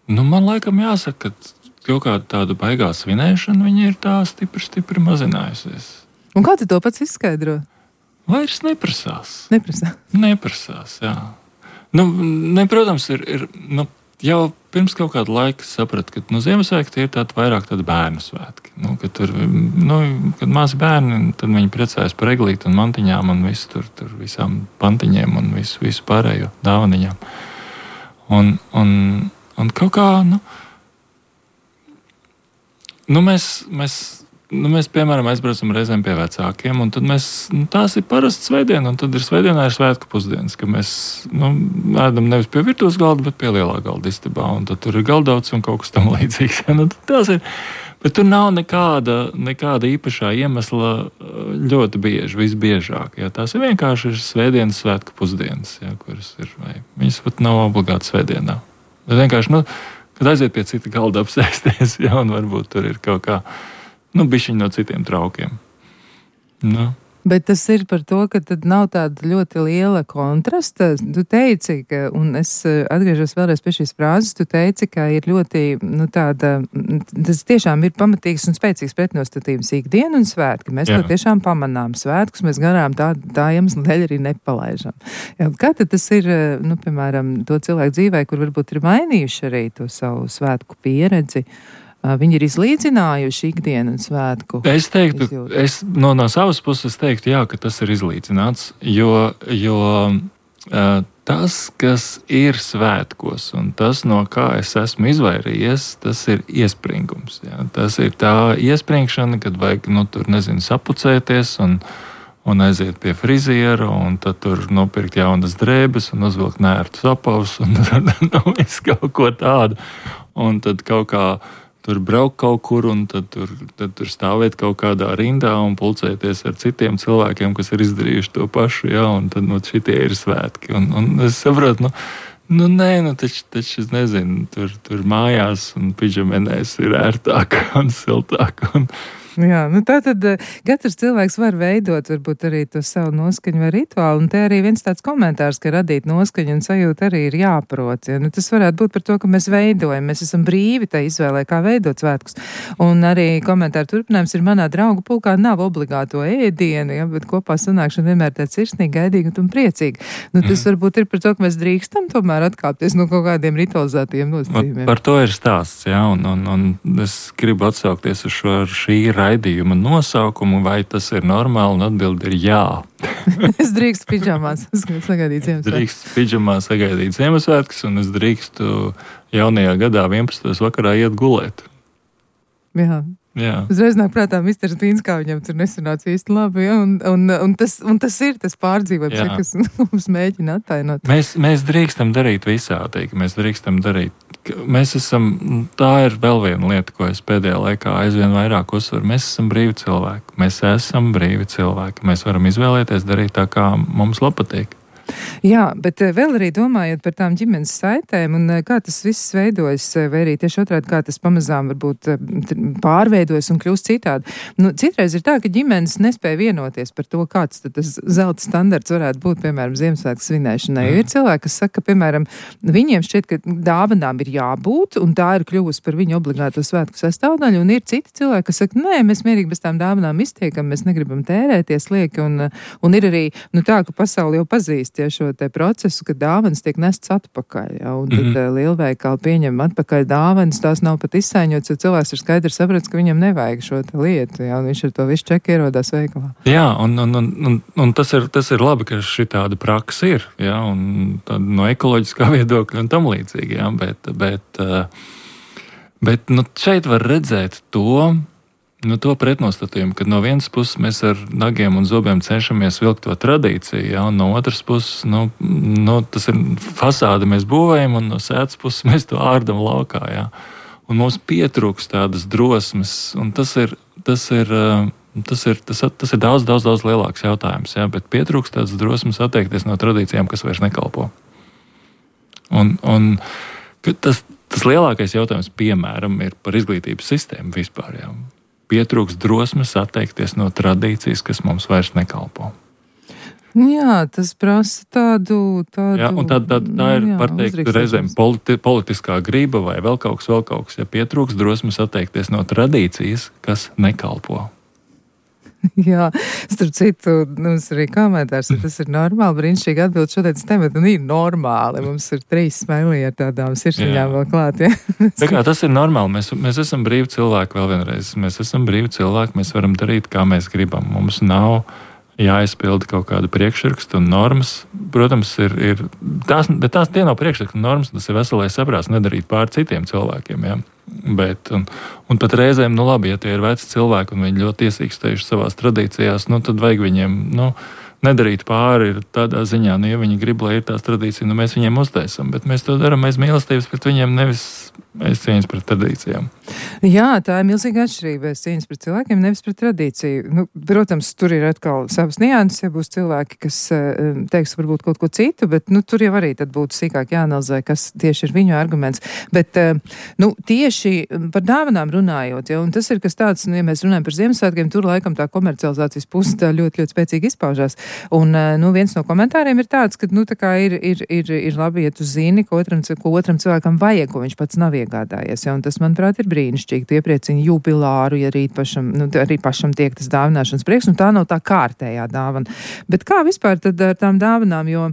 Man laikam jāsaka, ka kaut kāda tāda baigā svinēšana, viņa ir tā stipri mazinājusies. Un kā tu to pats izskaidro? Vairs neprasās. Neprasās, jā. Protams, ir jau pirms kaut kāda laika sapratu, ka Ziemassvētki ir vairāk tādi bērnu svētki. Kad kad mazi bērni, tad viņi priecājas par eglīti un mantiņām un visu tur visām pantiņiem un visu pārējo dāvaniņām. Un kaut kā, mēs, piemēram, aizbraucam reizēm pie vecākiem, un tad tās ir parasti svētdiena, un tad svētdienā ir svētku pusdienas, ka mēs ēdam nevis pie virtuves galda, bet pie lielā galda istabā, un tad tur ir galdauts un kaut kas tam līdzīgs. Tās ir, bet tur nav nekāda īpašā iemesla ļoti bieži, visbiežāk. Jā. Tās ir vienkārši svētdienas svētku pusdienas, jā, kuras ir, vai viņas pat nav obligāti svētdienā. Bet vienkārši, kad aiziet pie cita galda apsēsties, jā, un varbūt tur ir kaut kā bišķiņ no citiem traukiem. Bet tas ir par to, ka tad nav tāda ļoti liela kontrasta. Tu teici, un es atgriežos vēlreiz pie šīs frāzes, tu teici, ka ir ļoti, tas tiešām ir pamatīgs un spēcīgs pretnostatījums ikdiena un svētki. Mēs to tiešām pamanām. Svētkus mēs garām tā iemesla dēļ arī nepalaižam. Kā tad tas ir, piemēram, to cilvēku dzīvē, kur varbūt ir mainījuši arī to savu svētku pieredzi? Viņi ir izlīdzinājuši ikdienu un svētku. Es teiktu, no savas puses teiktu, jā, ka tas ir izlīdzināts, jo tas, kas ir svētkos un tas, no kā es esmu izvairījies, tas ir iespringums. Jā. Tas ir tā iespringšana, kad vajag, sapucēties un aiziet pie friziera, un tad tur nopirkt jaunas drēbes un uzvilkt nērtus apavus un visu kaut ko tādu. Un tad kaut kā tur braukt kaut kur, un tad tur stāvēt kaut kādā rindā un pulcēties ar citiem cilvēkiem, kas ir izdarījuši to pašu, jā, un tad šitie ir svētki. Un es saprotu, taču es nezinu, tur mājās un pidžamenēs ir ērtāk un siltāk. Jā, tātad katrs cilvēks var veidot varbūt arī to savu noskaņu vai rituālu, un te arī viens tāds komentārs, ka radīt noskaņu un sajūtu arī ir jāprot. Ja? Tas varētu būt par to, ka mēs veidojam, mēs esam brīvi tai izvēlē, kā veidot svētkus. Un arī komentāru turpinājums ir manā draugu pulkā nav obligāto ēdienu, ja? Bet kopā sanākšana vienmēr tāds sirsnīgi, gaidīgi un priecīgi. Tas varbūt ir par to, ka mēs drīkstam tomēr atkāpties no kaut kādiem ritualizētiem nosacījumiem. Par to ir stāsts, jā, un es gribu atsaukties uz šī raidījuma nosaukumu, vai tas ir normāli, un atbildi ir jā. Es drīkstu pidžamās sagaidīt Ziemassvētkus. Drīkstu pidžamās sagaidīt Ziemassvētkus, un es drīkstu jaunajā gadā 11. vakarā iet gulēt. Jā. Uzreiz nāk prātā Misters Dīns, kā viņam tur nesanāca īsti labi, ja? un tas ir tas pārdzīvojums, ja, kas mums mēģina attainot. Mēs drīkstam darīt visādīgi, tā ir vēl viena lieta, ko es pēdējā laikā aizvien vairāk uzsveru. Mēs esam brīvi cilvēki. Mēs varam izvēlēties darīt tā, kā mums patīk. Jā, bet vēl arī domājot par tām ģimenes saitēm un kā tas viss veidojas, vai arī tieši otrādi, kā tas pamazām varbūt pārveidojas un kļūst citādi. Citreiz ir tā, ka ģimenes nespēja vienoties par to, kāds tad tas zelta standarts varētu būt, piemēram, Ziemassvētku svinēšanai. Jo ir cilvēki, kas saka, piemēram, viņiem šķiet, ka dāvanām ir jābūt, un tā ir kļuvusi par viņu obligāto svētku sastāvdaļu, un ir citi cilvēki, kas saka, nē, mēs mierīgi bez tām dāvanām iztiekam, mēs negribam tērēties lieki, un ir arī, tā, ka pasauli jau pazīst šo te procesu, ka dāvanas tiek nests atpakaļ, ja, un tad lielveikali pieņem atpakaļ dāvanas, tās nav pat izsaiņotas, jo cilvēks ir skaidri sapratis, ka viņam nevajag šo te lietu, ja, un viņš ar to visu čeku ierodās veikalā. Jā, un tas ir labi, ka šī tāda praksa ir, ja, un no ekoloģiskā viedokļa un tam līdzīgi, ja, bet šeit var redzēt to pretnostatījumu, kad no vienas puses mēs ar nagiem un zobiem cenšamies vilkt to tradīciju, ja, un no otras puses, tas ir fasāde mēs būvējam, un no sētas puses mēs to ārdam laukā, ja. Un mums pietrūks tādas drosmes, un tas ir daudz lielāks jautājums, ja, bet pietrūks tādas drosmes atteikties no tradīcijām, kas vairs nekalpo. Un tas lielākais jautājums, piemēram, ir par izglītības sistēmu vispār, ja. Pietrūks drosmes atteikties no tradīcijas, kas mums vairs nekalpo. Jā, tas prasa tādu... Jā, un tā ir, var teikt, reizēm politiskā grība vai vēl kaut kas, ja pietrūks drosmes atteikties no tradīcijas, kas nekalpo. Jā, starp citu, mums arī komentārs, ja tas ir normāli, brīnišķīgi atbild šodienas tematu, un ir normāli. Mums ir 3 smēlī ar tādām sirsniņām vēl klāt, ja? Tā kā tas ir normāli, mēs esam brīvi cilvēki vēl vienreiz. Mēs esam brīvi cilvēki, mēs varam darīt, kā mēs gribam. Mums nav jāizpilda kaut kāda priekšraksta un normas. Protams, bet tie nav priekšraksta un normas, tas ir veselais saprāts nedarīt pār citiem cilvēkiem, ja? Bet, un pat reizēm, labi, ja tie ir veci cilvēki un viņi ļoti iesīkstējuši savās tradīcijās, tad vajag viņiem, nedarīt pāri tādā ziņā, ja viņi grib, lai ir tās tradīcijas, mēs viņiem uztaisam, bet mēs to darām aiz mīlestības pret viņiem, nevis aiz cieņas pret tradīcijām. Jā, tā ir milzīga atšķirība aiz cieņas pret cilvēkiem, nevis pret tradīciju. Protams, tur ir atkal savas nianses, ja būs cilvēki, kas teiks varbūt kaut ko citu, bet tur jau arī tad būtu sīkāk jāanalizē, kas tieši ir viņu arguments. Bet tieši par dāvanām runājot, ja, un tas ir kas tāds, ja mēs runājam par Ziemassvētkiem, tur laikam tā komercializācijas puse tā ļoti, ļoti spēcīgi izpaužās. Un viens no komentāriem ir tāds, ka tā kā ir labi, ja tu zini, ko otram cilvēkam vajag, ko viņš pats nav iegādājies. Ja, un tas, manuprāt, ir brīnišķīgi. Tu iepriecini jubilāru, ja arī pašam tiek tas dāvināšanas prieks, un tā nav tā kārtējā dāvana. Bet kā vispār tad ar tām dāvanām, jo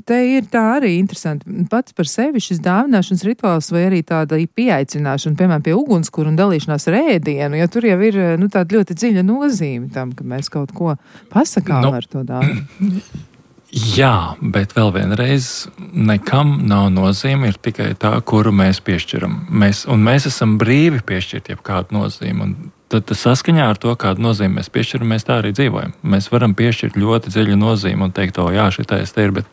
te ir tā arī interesanti. Pats par sevi šis dāvināšanas rituāls vai arī tāda pieaicināšana, piemēram, pie ugunskura un dalīšanās ar ēdienu, jo tur jau ir tāda ļoti dziļa nozīme tam, ka mēs kaut ko pasakām ar to dāvanu. Jā, bet vēl vienreiz nekam nav nozīme, ir tikai tā, kuru mēs piešķiram. Mēs esam brīvi piešķirt jebkādu nozīmi. Un tad saskaņā ar to, kādu nozīmi mēs piešķiram, mēs tā arī dzīvojam. Mēs varam piešķirt ļoti dziļu nozīmi un teikt, jā, šitais te ir, bet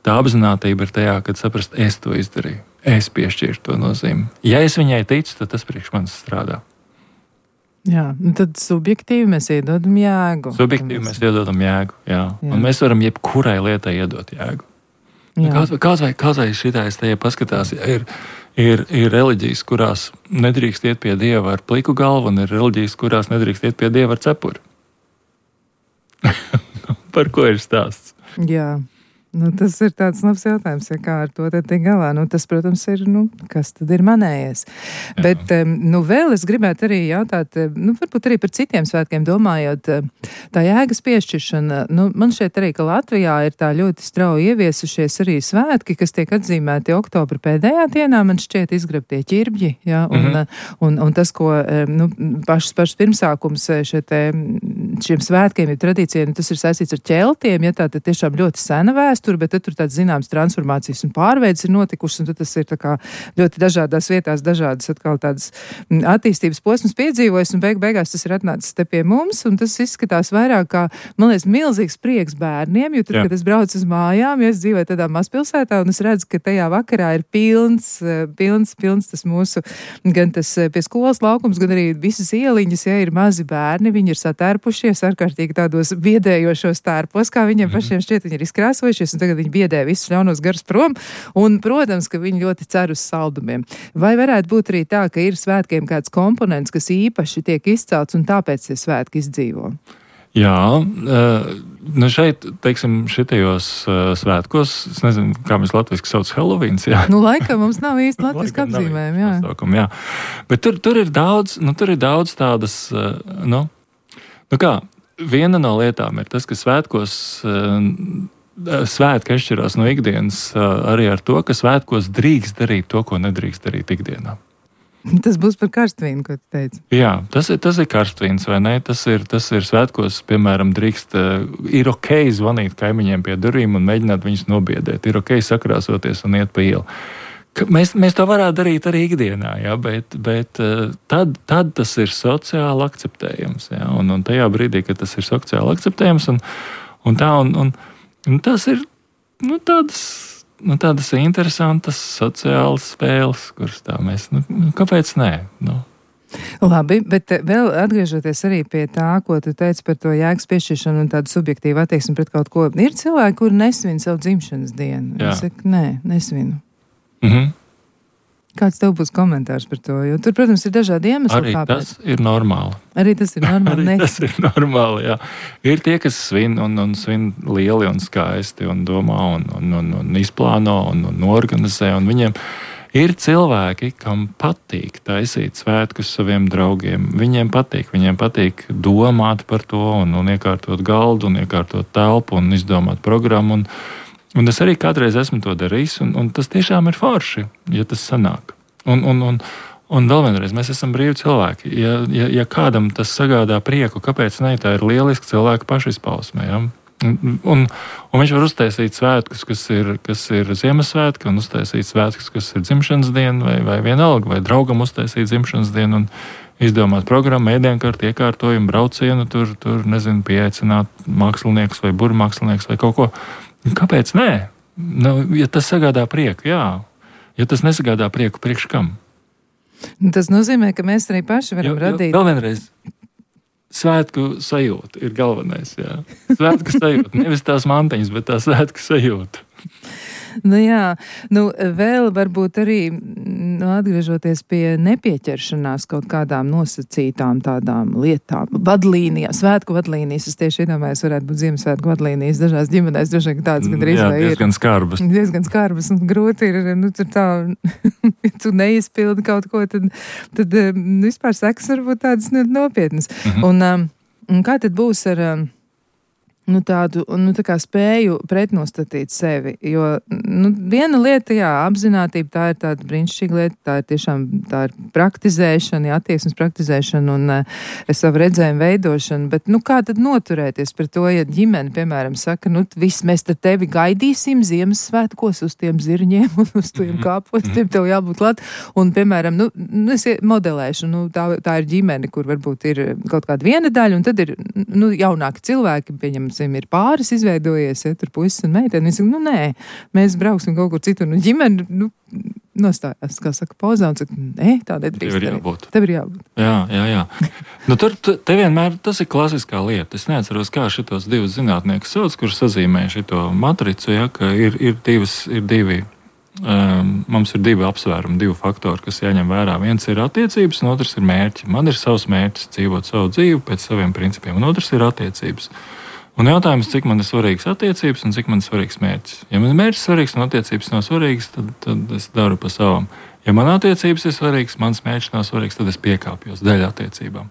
tā apzinātība ir tajā, kad saprast, es to izdarīju. Es piešķiru to nozīmi. Ja es viņai ticu, tad tas priekš manis strādā. Jā, tad subjektīvi mēs iedodam jēgu. Mēs iedodam jēgu, jā. Un mēs varam jebkurai lietai iedot jēgu. Kaut vai šitais te paskatās, ir reliģijas, kurās nedrīkst iet pie Dieva ar pliku galvu, un ir reliģijas, kurās nedrīkst iet pie Dieva ar cepuri. Par ko ir stāsts? Jā. Tas ir tāds labs jautājums, ja kā ar to te tik galā. Tas, protams, ir, kas tad ir manējais. Jā. Bet, vēl es gribētu arī jautāt, varbūt arī par citiem svētkiem domājot, tā jēgas piešķiršana. Man šeit arī, ka Latvijā ir tā ļoti strauji ieviesušies arī svētki, kas tiek atzīmēti oktobra pēdējā dienā, man šķiet izgrabtie ķirbļi, ja, un tas, ko, pašs pirmsākums šiem svētkiem ir tradīcijiem, tas ir saistīts ar ķeltiem, ja tā tad tiešām ļoti sena vēsture, bet tur tāds zināms transformācijas un pārveids ir notikušas, un tad tas ir tā kā ļoti dažādās vietās, dažādas atkal tādas attīstības posmas piedzīvojas, un beigās tas ir atnācis te pie mums, un tas izskatās vairāk kā, man liekas, milzīgs prieks bērniem, jo tad, kad es braucu uz mājām, ja es dzīvoju tādā mazpilsētā, un es redzu, ka tajā vakarā ir pilns tas mūsu, gan tas pie skolas laukums, gan arī visas ieliņas, ja ir mazi bērni, viņi ir satērpušies ārkārtīgi tādos biedējošos tērpos, kā viņiem pašiem šķiet, viņi ir izkrāsojušies, un tagad viņi biedē visus ļaunos garus prom, un, protams, ka viņi ļoti cer uz saldumiem. Vai varētu būt arī tā, ka ir svētkiem kāds komponents, kas īpaši tiek izcelts, un tāpēc tie svētki izdzīvo? Jā, šeit, teiksim, šitajos svētkos, es nezinu, kā mēs latviski sauc Halloweens, jā. Laikam mums nav īsti latviski apzīmējumi, jā. Nosaukumi, jā. Bet tur ir daudz tādas, viena no lietām ir tas, ka svētkos svētki atšķirās no ikdienas arī ar to, ka svētkos drīkst darīt to, ko nedrīkst darīt ikdienā. Tas būs par karstvīnu, ko tu teici. Jā, tas ir karstvīns, vai ne? Tas ir svētkos, piemēram, ir ok zvanīt kaimiņiem pie durvīm un mēģināt viņus nobiedēt. Ir ok sakrāsoties un iet pa ielu. Mēs to varētu darīt arī ikdienā, ja, bet tad tas ir sociāli akceptējams. Ja, un tajā brīdī, kad tas ir sociāli akceptējams, un tas ir tādas interesantas sociālas spēles, kuras tā mēs, kāpēc nē? Labi, bet vēl atgriežoties arī pie tā, ko tu teici par to jēgas piešķiršanu un tādu subjektīvu attieksmi pret kaut ko. Ir cilvēki, kuri nesvin savu dzimšanas dienu. Es saku, nē, nesvinu. Kāds tev būs komentārs par to? Jo tur, protams, ir dažādi iemesli. Arī kāpēc. Tas ir normāli. Arī tas ir normāli. Tas ir normāli, jā. Ir tie, kas svin un svin lieli un skaisti un domā un izplāno un organizē. Un viņiem Ir cilvēki, kam patīk taisīt svētkus saviem draugiem. Viņiem patīk domāt par to un iekārtot galdu un iekārtot telpu un izdomāt programmu. Un es arī kādreiz esmu to darījis, un tas tiešām ir forši, ja tas sanāk. Un vēl vienreiz, mēs esam brīvi cilvēki. Ja kādam tas sagādā prieku, kāpēc ne, tā ir lieliska cilvēka pašizpausme. Ja? Un viņš var uztaisīt svētkus, kas ir Ziemassvētki, un uztaisīt svētkus, kas ir dzimšanas diena, vai vienalga, vai draugam uztaisīt dzimšanas dienu, un izdomāt programmu, ēdienkarti, iekārtojumu, braucienu, tur nezinu, pieaicināt māksliniekus vai burmākslinieks vai kaut ko. Kāpēc nē? Nu, ja tas sagādā prieku, jā. Ja tas nesagādā prieku, priekš kam? Tas nozīmē, ka mēs arī paši varam radīt. Vēl vienreiz. Svētku sajūta ir galvenais. Jā. Svētku sajūta. Nevis tās mantiņas, bet tā svētku sajūta. Nu jā, vēl varbūt arī atgriežoties pie nepieķeršanās kaut kādām nosacītām tādām lietām, vadlīnijām, svētku vadlīnijas. Es tieši iedomājos, varētu būt Ziemassvētku vadlīnijas dažās ģimenēs, droši vien tādas gandrīz vai ir. Diezgan skarbas un grūti ir, tur tā, ja tu neizpildi kaut ko, tad vispār sekas varbūt tādas nopietnas. Un kā tad būs ar tādu, tā kā spēju pretnostatīt sevi, jo, viena lieta, jā, apzinātība, tā ir tāda brīnišķīga lieta, tā ir tiešām, tā ir praktizēšana, jā, attieksmes praktizēšana un savu redzējumu veidošana, bet, kā tad noturēties par to, ja ģimene, piemēram, saka, viss, mēs tad tevi gaidīsim Ziemassvētkos uz tiem zirņiem un uz tiem kāpostiem, tev jābūt klāt, un, piemēram, es modelēšu, tā ir ģimene, kur varbūt ir kaut kāda viena daļa, un tad ir, jaunāki cilvēki, ir pāris izveidojies, tur puisis un meiteni. Viņi saka, nē, mēs brauksim kaut kur citur. Ģimene, nostājās, kā saka, pauzā un saka, tā nedrīkst. Tev ir jābūt. Jā. Te vienmēr tas ir klasiskā lieta. Es neatceros, kā šitos divus zinātniekus sauc, kurš sazīmē šito matricu, ja, ka ir divi. Mums ir divi apsvērumi, divi faktori, kas jāņem vērā. Viens ir attiecības, un otrs ir mērķi. Man ir savs mērķis dzīvot savu dzīvi pēc saviem principiem, un otrs ir attiecības. Un jautājums, cik man ir svarīgas attiecības un cik man ir svarīgs mērķis. Ja man ir mērķis svarīgs un attiecības nav svarīgas, tad es daru pa savam. Ja man attiecības ir svarīgas, mans mērķis nav svarīgs, tad es piekāpjos dēļ attiecībām.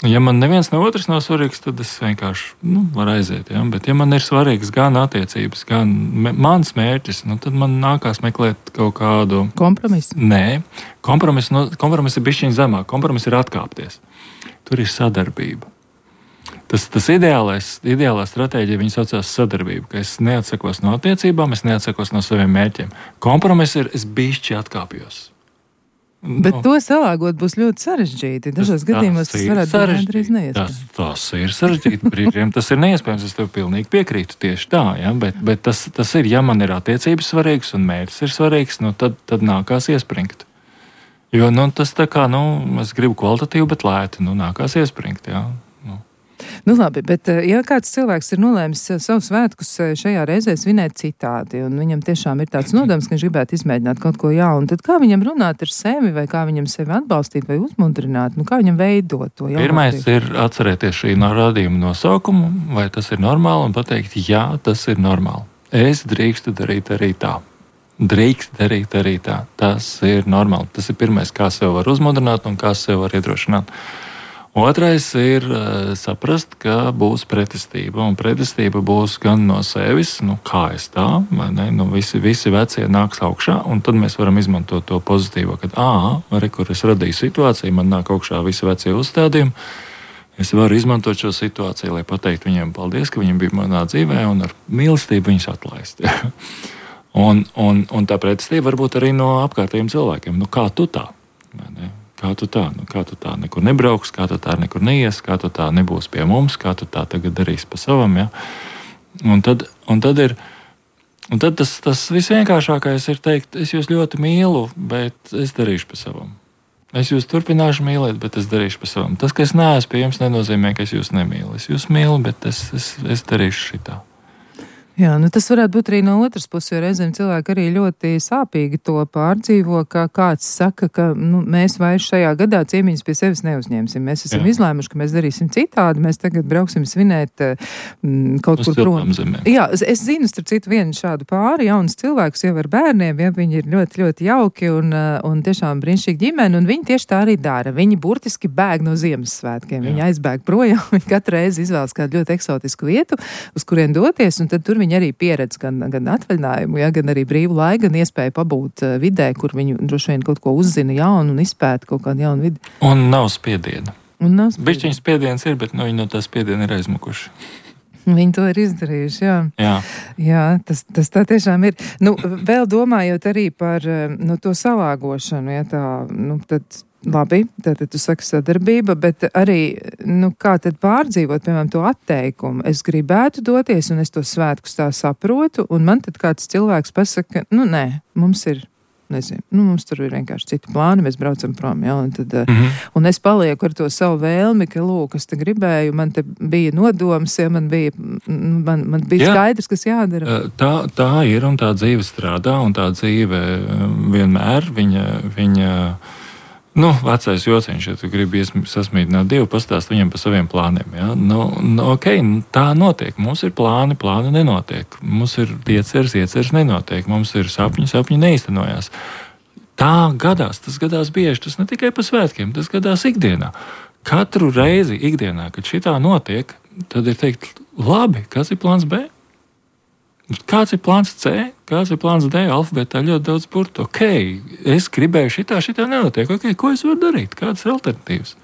Ja man neviens no otrs nav svarīgs, tad es vienkārši varu aiziet. Ja? Bet ja man ir svarīgs gan attiecības, gan mans mērķis, tad man nākās meklēt kaut kādu kompromisu. Nē, kompromiss ir bišķiņ zemāk. Kompromiss ir atkāpties. Tur ir sadarbība. Tas ideālā stratēģija, viņa saucās sadarbība, ka es neatsakos no attiecībām, es neatsakos no saviem mērķiem. Kompromiss ir, es bišķi atkāpjos. Bet to salāgot būs ļoti sarežģīti. Dažos gadījumos tas varētu būt gandrīz neiespējams. Tas ir sarežģīti. Brīžiem tas ir neiespējams. Es tev pilnīgi piekrītu tieši tā. Ja? Bet tas ir, ja man ir attiecības svarīgas un mērķis ir svarīgs, tad nākās iespringt. Jo tas tā kā, es gribu kvalitatīvu, bet lēti, nākās iespringt, jā. Labi, bet ja kāds cilvēks ir nolēmis savus svētkus šajā reizē svinēt citādi, un viņam tiešām ir tāds nodoms, ka viņš gribētu izmēģināt kaut ko jaunu, tad kā viņam runāt ar sevi, vai kā viņam sevi atbalstīt vai uzmundrināt, kā viņam veidot to jaunu? Pirmais ir atcerēties šī raidījuma nosaukumu, vai tas ir normāli, un pateikt, jā, tas ir normāli. Es drīkstu darīt arī tā. Tas ir normāli. Tas ir pirmais, kā sev var uzmundrināt un kā sev var iedrošināt. Otrais ir saprast, ka būs pretestība, un pretestība būs gan no sevis, kā es tā, vai ne, visi vecie nāks augšā, un tad mēs varam izmantot to pozitīvo, kad, kur es radīju situāciju, man nāk augšā visi vecie uzstādījumi, es varu izmantot šo situāciju, lai pateiktu viņiem paldies, ka viņi bija manā dzīvē, un ar mīlestību viņus atlaist. un tā pretestība varbūt arī no apkārtējiem cilvēkiem, kā tu tā, vai ne? Kā tu tā nekur nebrauks, kā tu tā nekur neies, kā tu tā nebūs pie mums, kā tu tā tagad darīs pa savam, ja? Un tad tas visvienkāršākais ir teikt, es jūs ļoti mīlu, bet es darīšu pa savam. Es jūs turpināšu mīlēt, bet es darīšu pa savam. Tas, ka es neesmu pie jums, nenozīmē, ka es jūs nemīlu. Es jūs mīlu, bet es darīšu šitā. Jā, tas varētu būt arī no otras puses, jo reizēm cilvēki arī ļoti sāpīgi to pārdzīvo, ka kāds saka, ka mēs vairs šajā gadā ciemiņus pie sevis neuzņemsim. Mēs esam izlēmuši, ka mēs darīsim citādi, mēs tagad brauksim svinēt kaut kur prom. Jā, es zinu, starp citu, vienu šādu pāri jaunus cilvēkus jau ar bērniem, ja viņi ir ļoti, ļoti jauki un tiešām brīnišķīgi ģimeni, un viņi tieši tā arī dara. Viņi burtiski bēg no Ziemassvētkiem. Viņi aizbēg projām, viņi katru reizi izvēlas kādu ļoti eksotisku vietu, uz kurien doties, un tad tur viņi arī pieredz gan atvaļinājumu, gan arī brīvu laiku, gan iespēju pabūt vidē, kur viņi droši vien kaut ko uzzina jaunu un izpēta kaut kādu jaunu vidi. Un nav spiediena. Bišķiņas spiediens ir, bet viņi no tā spiediena ir aizmukuši. Viņi to ir izdarījuši, jā. Jā, tas tā tiešām ir. Vēl domājot arī par to salāgošanu, ja tā, tad labi, tad tu saki sadarbība, bet arī, kā tad pārdzīvot, piemēram, to atteikumu. Es gribētu doties, un es to svētkus tā saprotu, un man tad kāds cilvēks pasaka, nē, mums ir, nezinu, mums tur ir vienkārši citi plāni, mēs braucam prom, un tad, un es palieku ar to savu vēlmi, ka, lūk, es te gribēju, man te bija nodoms, man bija skaidrs, kas jādara. Tā ir, un tā dzīve strādā, un tā dzīve vienmēr, viņa vecais jociņš, ja tu gribi sasmīdināt Dievu, pastāst viņam par saviem plāniem. Ja? Tā notiek. Mums ir plāni nenotiek. Mums ir ieceres nenotiek. Mums ir sapņi neīstenojās. Tā gadās, tas gadās bieži. Tas ne tikai pa svētkiem, tas gadās ikdienā. Katru reizi ikdienā, kad šitā notiek, tad ir teikt, labi, kas ir plāns B? Kāds ir plāns C, kāds ir plāns D, alfabētā ļoti daudz burtu. Ok, es gribēju šitā nenotiek. Ok, ko es varu darīt? Kādas ir alternatīvas?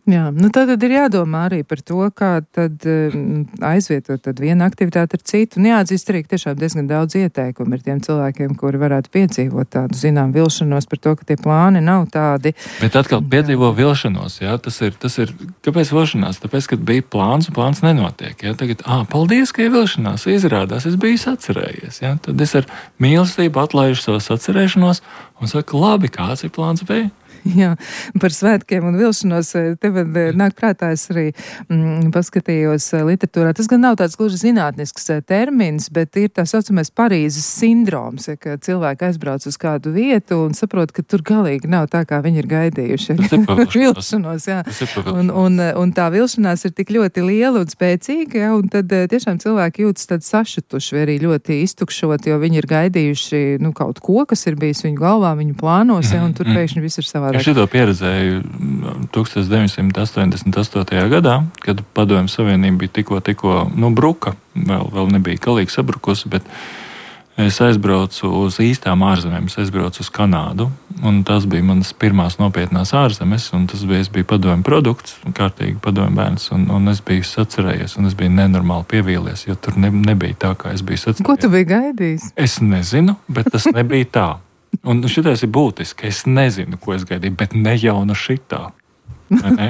Jā, tad ir jādomā arī par to, kā tad aizvietot tad vienu aktivitāti ar citu. Un jāatzīst arī, ka tiešām diezgan daudz ieteikumu ir tiem cilvēkiem, kuri varētu piedzīvot tādu, vilšanos par to, ka tie plāni nav tādi. Bet atkal piedzīvo vilšanos, jā, tas ir, kāpēc vilšanās? Tāpēc, kad bija plāns un plāns nenotiek, jā, tagad, paldies, ka ir vilšanās, izrādās, es biju sacerējies, jā, tad es ar mīlestību atlaižu savas sacerēšanos un saku, labi, kāds ir plāns B? Jā, par svētkiem un vilšanos te man nāk prātā, es arī paskatījos literatūrā. Tas gan nav tāds gluži zinātnisks termins, bet ir tā saucamais Parīzes sindroms, ja, ka cilvēki aizbrauc uz kādu vietu un saprot, ka tur galīgi nav tā, kā viņi ir gaidījuši. Vilšanos, jā. Un tā vilšanās ir tik ļoti liela un spēcīga, ja, un tad tiešām cilvēki jūtas tad sašutuši vai arī ļoti iztukšot, jo viņi ir gaidījuši kaut ko, kas ir bijis viņu galvā, viņu plānos, ja, un tur pēkšņi viss ir savādāk. Es šito pieredzēju 1988. gadā, kad Padomju Savienība bija tikko bruka, vēl nebija galīgi sabrukusi, bet es aizbraucu uz īstām ārzemēm, es aizbraucu uz Kanādu, un tas bija manas pirmās nopietnās ārzemes, un es biju padomju produkts, kārtīgi padomju bērns, un es biju sacerējies, un es biju nenormāli pievīlies, jo tur nebija tā, kā es biju sacerējies. Ko tu biji gaidījis? Es nezinu, bet tas nebija tā. Un šitais ir būtiski. Es nezinu, ko es gaidīju, bet ne jau no šitā. Ne?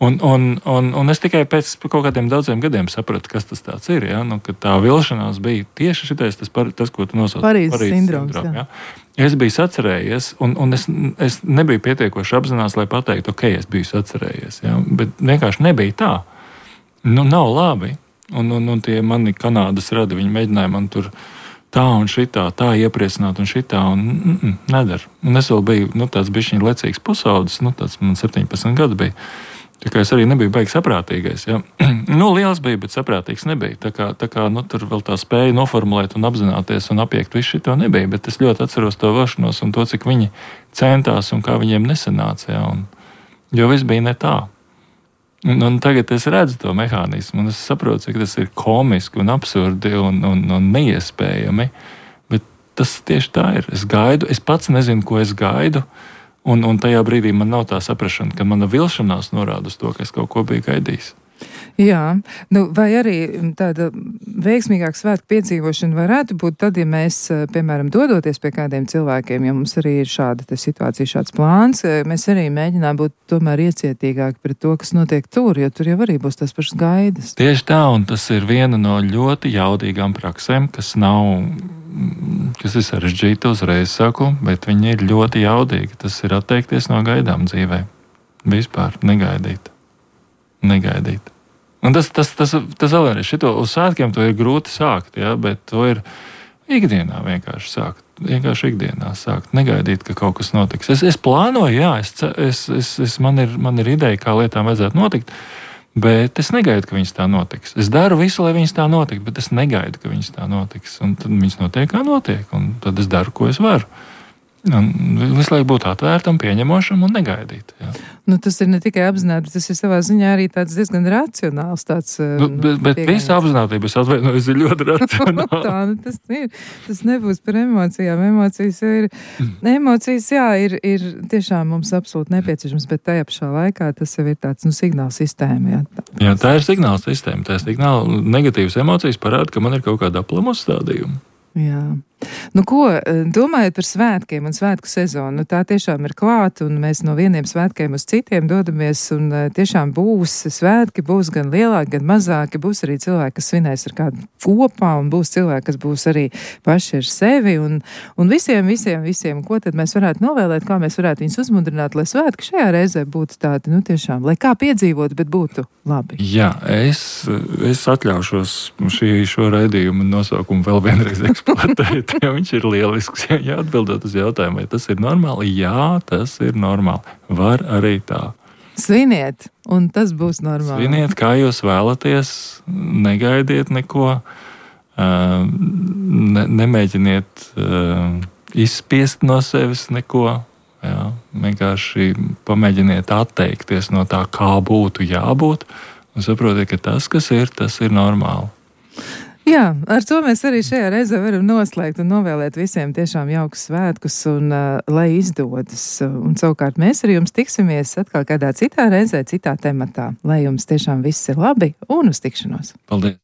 Un es tikai pēc kaut kādiem daudziem gadiem sapratu, kas tas tāds ir. Ja? Ka tā vilšanās bija tieši šitais, tas ko tu nosauc. Parīzes sindroms. Ja? Es biju sacerējies, un es nebiju pietiekoši apzināts, lai pateiktu, ok, es biju sacerējies. Ja? Bet vienkārši nebija tā. Nav labi. Un tie mani Kanādas radi, viņi mēģināja man tur tā un šitā, tā iepriecināt un šitā, un nedara. Un es vēl biju tāds bišķiņ lecīgs pusaudzis, tāds man 17 gadu bija. Tā kā es arī nebiju baigi saprātīgais. Ja? Liels bija, bet saprātīgs nebija. Tā kā tur vēl tā spēja noformulēt un apzināties un apiekt visu šito nebija, bet es ļoti atceros to vilšanos un to, cik viņi centās un kā viņiem nesanāca. Ja? Jo viss bija ne tā. Un tagad es redzu to mehānismu, un es saprotu, cik tas ir komiski un absurdi un neiespējami, bet tas tieši tā ir. Es gaidu, es pats nezinu, ko es gaidu, un tajā brīdī man nav tā saprašana, ka mana vilšanās norāda uz to, ka es kaut ko biju gaidījis. Jā, vai arī tāda veiksmīgāka svētku piedzīvošana varētu būt tad, ja mēs, piemēram, dodoties pie kādiem cilvēkiem, ja mums arī ir šāda situācija, šāds plāns, mēs arī mēģinām būt tomēr iecietīgāki pret to, kas notiek tur, jo tur jau arī būs tas pašas gaidas. Tieši tā, un tas ir viena no ļoti jaudīgām praksēm, kas ir sarežģīta, uzreiz saku, bet viņi ir ļoti jaudīgi. Tas ir atteikties no gaidām dzīvē. Vispār negaidīt. Un tas vēl ir šito uz svētkiem, to ir grūti sākt, ja, bet to ir ikdienā vienkārši sākt. Vienkārši ikdienā sākt, negaidīt, ka kaut kas notiks. Es plānoju, jā, man ir ideja, kā lietām vajadzētu notikt, bet es negaidu, ka viņas tā notiks. Es daru visu, lai viņas tā notiks, bet es negaidu, ka viņas tā notiks. Un tad viņas notiek, kā notiek, un tad es daru, ko es varu. Un visu laiku būt atvērtam, pieņemošam un negaidīt. Jā. Nu, tas ir ne tikai apzināti, bet tas ir savā ziņā arī tāds diezgan racionāls. Bet visa apzinātība, es atvainojos, ir ļoti racionāla. Tā, tas ir. Tas nebūs par emocijām. Emocijas, jā, ir tiešām mums absolūti nepieciešams, bet tajā pašā laikā tas jau ir tāds, signāla sistēma. Jā, tā ir signāla sistēma. Tā ir signāla negatīvas emocijas parāda, ka man ir kaut kāda aplama uzstādījuma. Jā. Nu, ko domājot par svētkiem un svētku sezonu? Tā tiešām ir klāta, un mēs no vieniem svētkiem uz citiem dodamies, un tiešām būs svētki, būs gan lielāki, gan mazāki, būs arī cilvēki, kas svinēs ar kādu kopā, un būs cilvēki, kas būs arī paši ar sevi, un visiem, ko tad mēs varētu novēlēt, kā mēs varētu viņus uzmundrināt, lai svētki šajā reizē būtu tādi, tiešām, lai kā piedzīvot, bet būtu labi. Jā, es atļaušos šo raidījumu nosaukumu vēl vienreiz eksploatēt, jo viņš ir lielisks. Ja atbildot uz jautājumu, vai tas ir normāli? Jā, tas ir normāli. Var arī tā. Sviniet, un tas būs normāli. Sviniet, kā jūs vēlaties, negaidiet neko, nemēģiniet izspiest no sevis neko. Jā, vienkārši pamēģiniet atteikties no tā, kā būtu jābūt, un saprotiet, ka tas, kas ir, tas ir normāli. Jā, ar to mēs arī šajā reizē varam noslēgt un novēlēt visiem tiešām jaukus svētkus un lai izdodas. Un savukārt mēs ar jums tiksimies atkal kādā citā reizē, citā tematā. Lai jums tiešām viss ir labi un uz tikšanos. Paldies!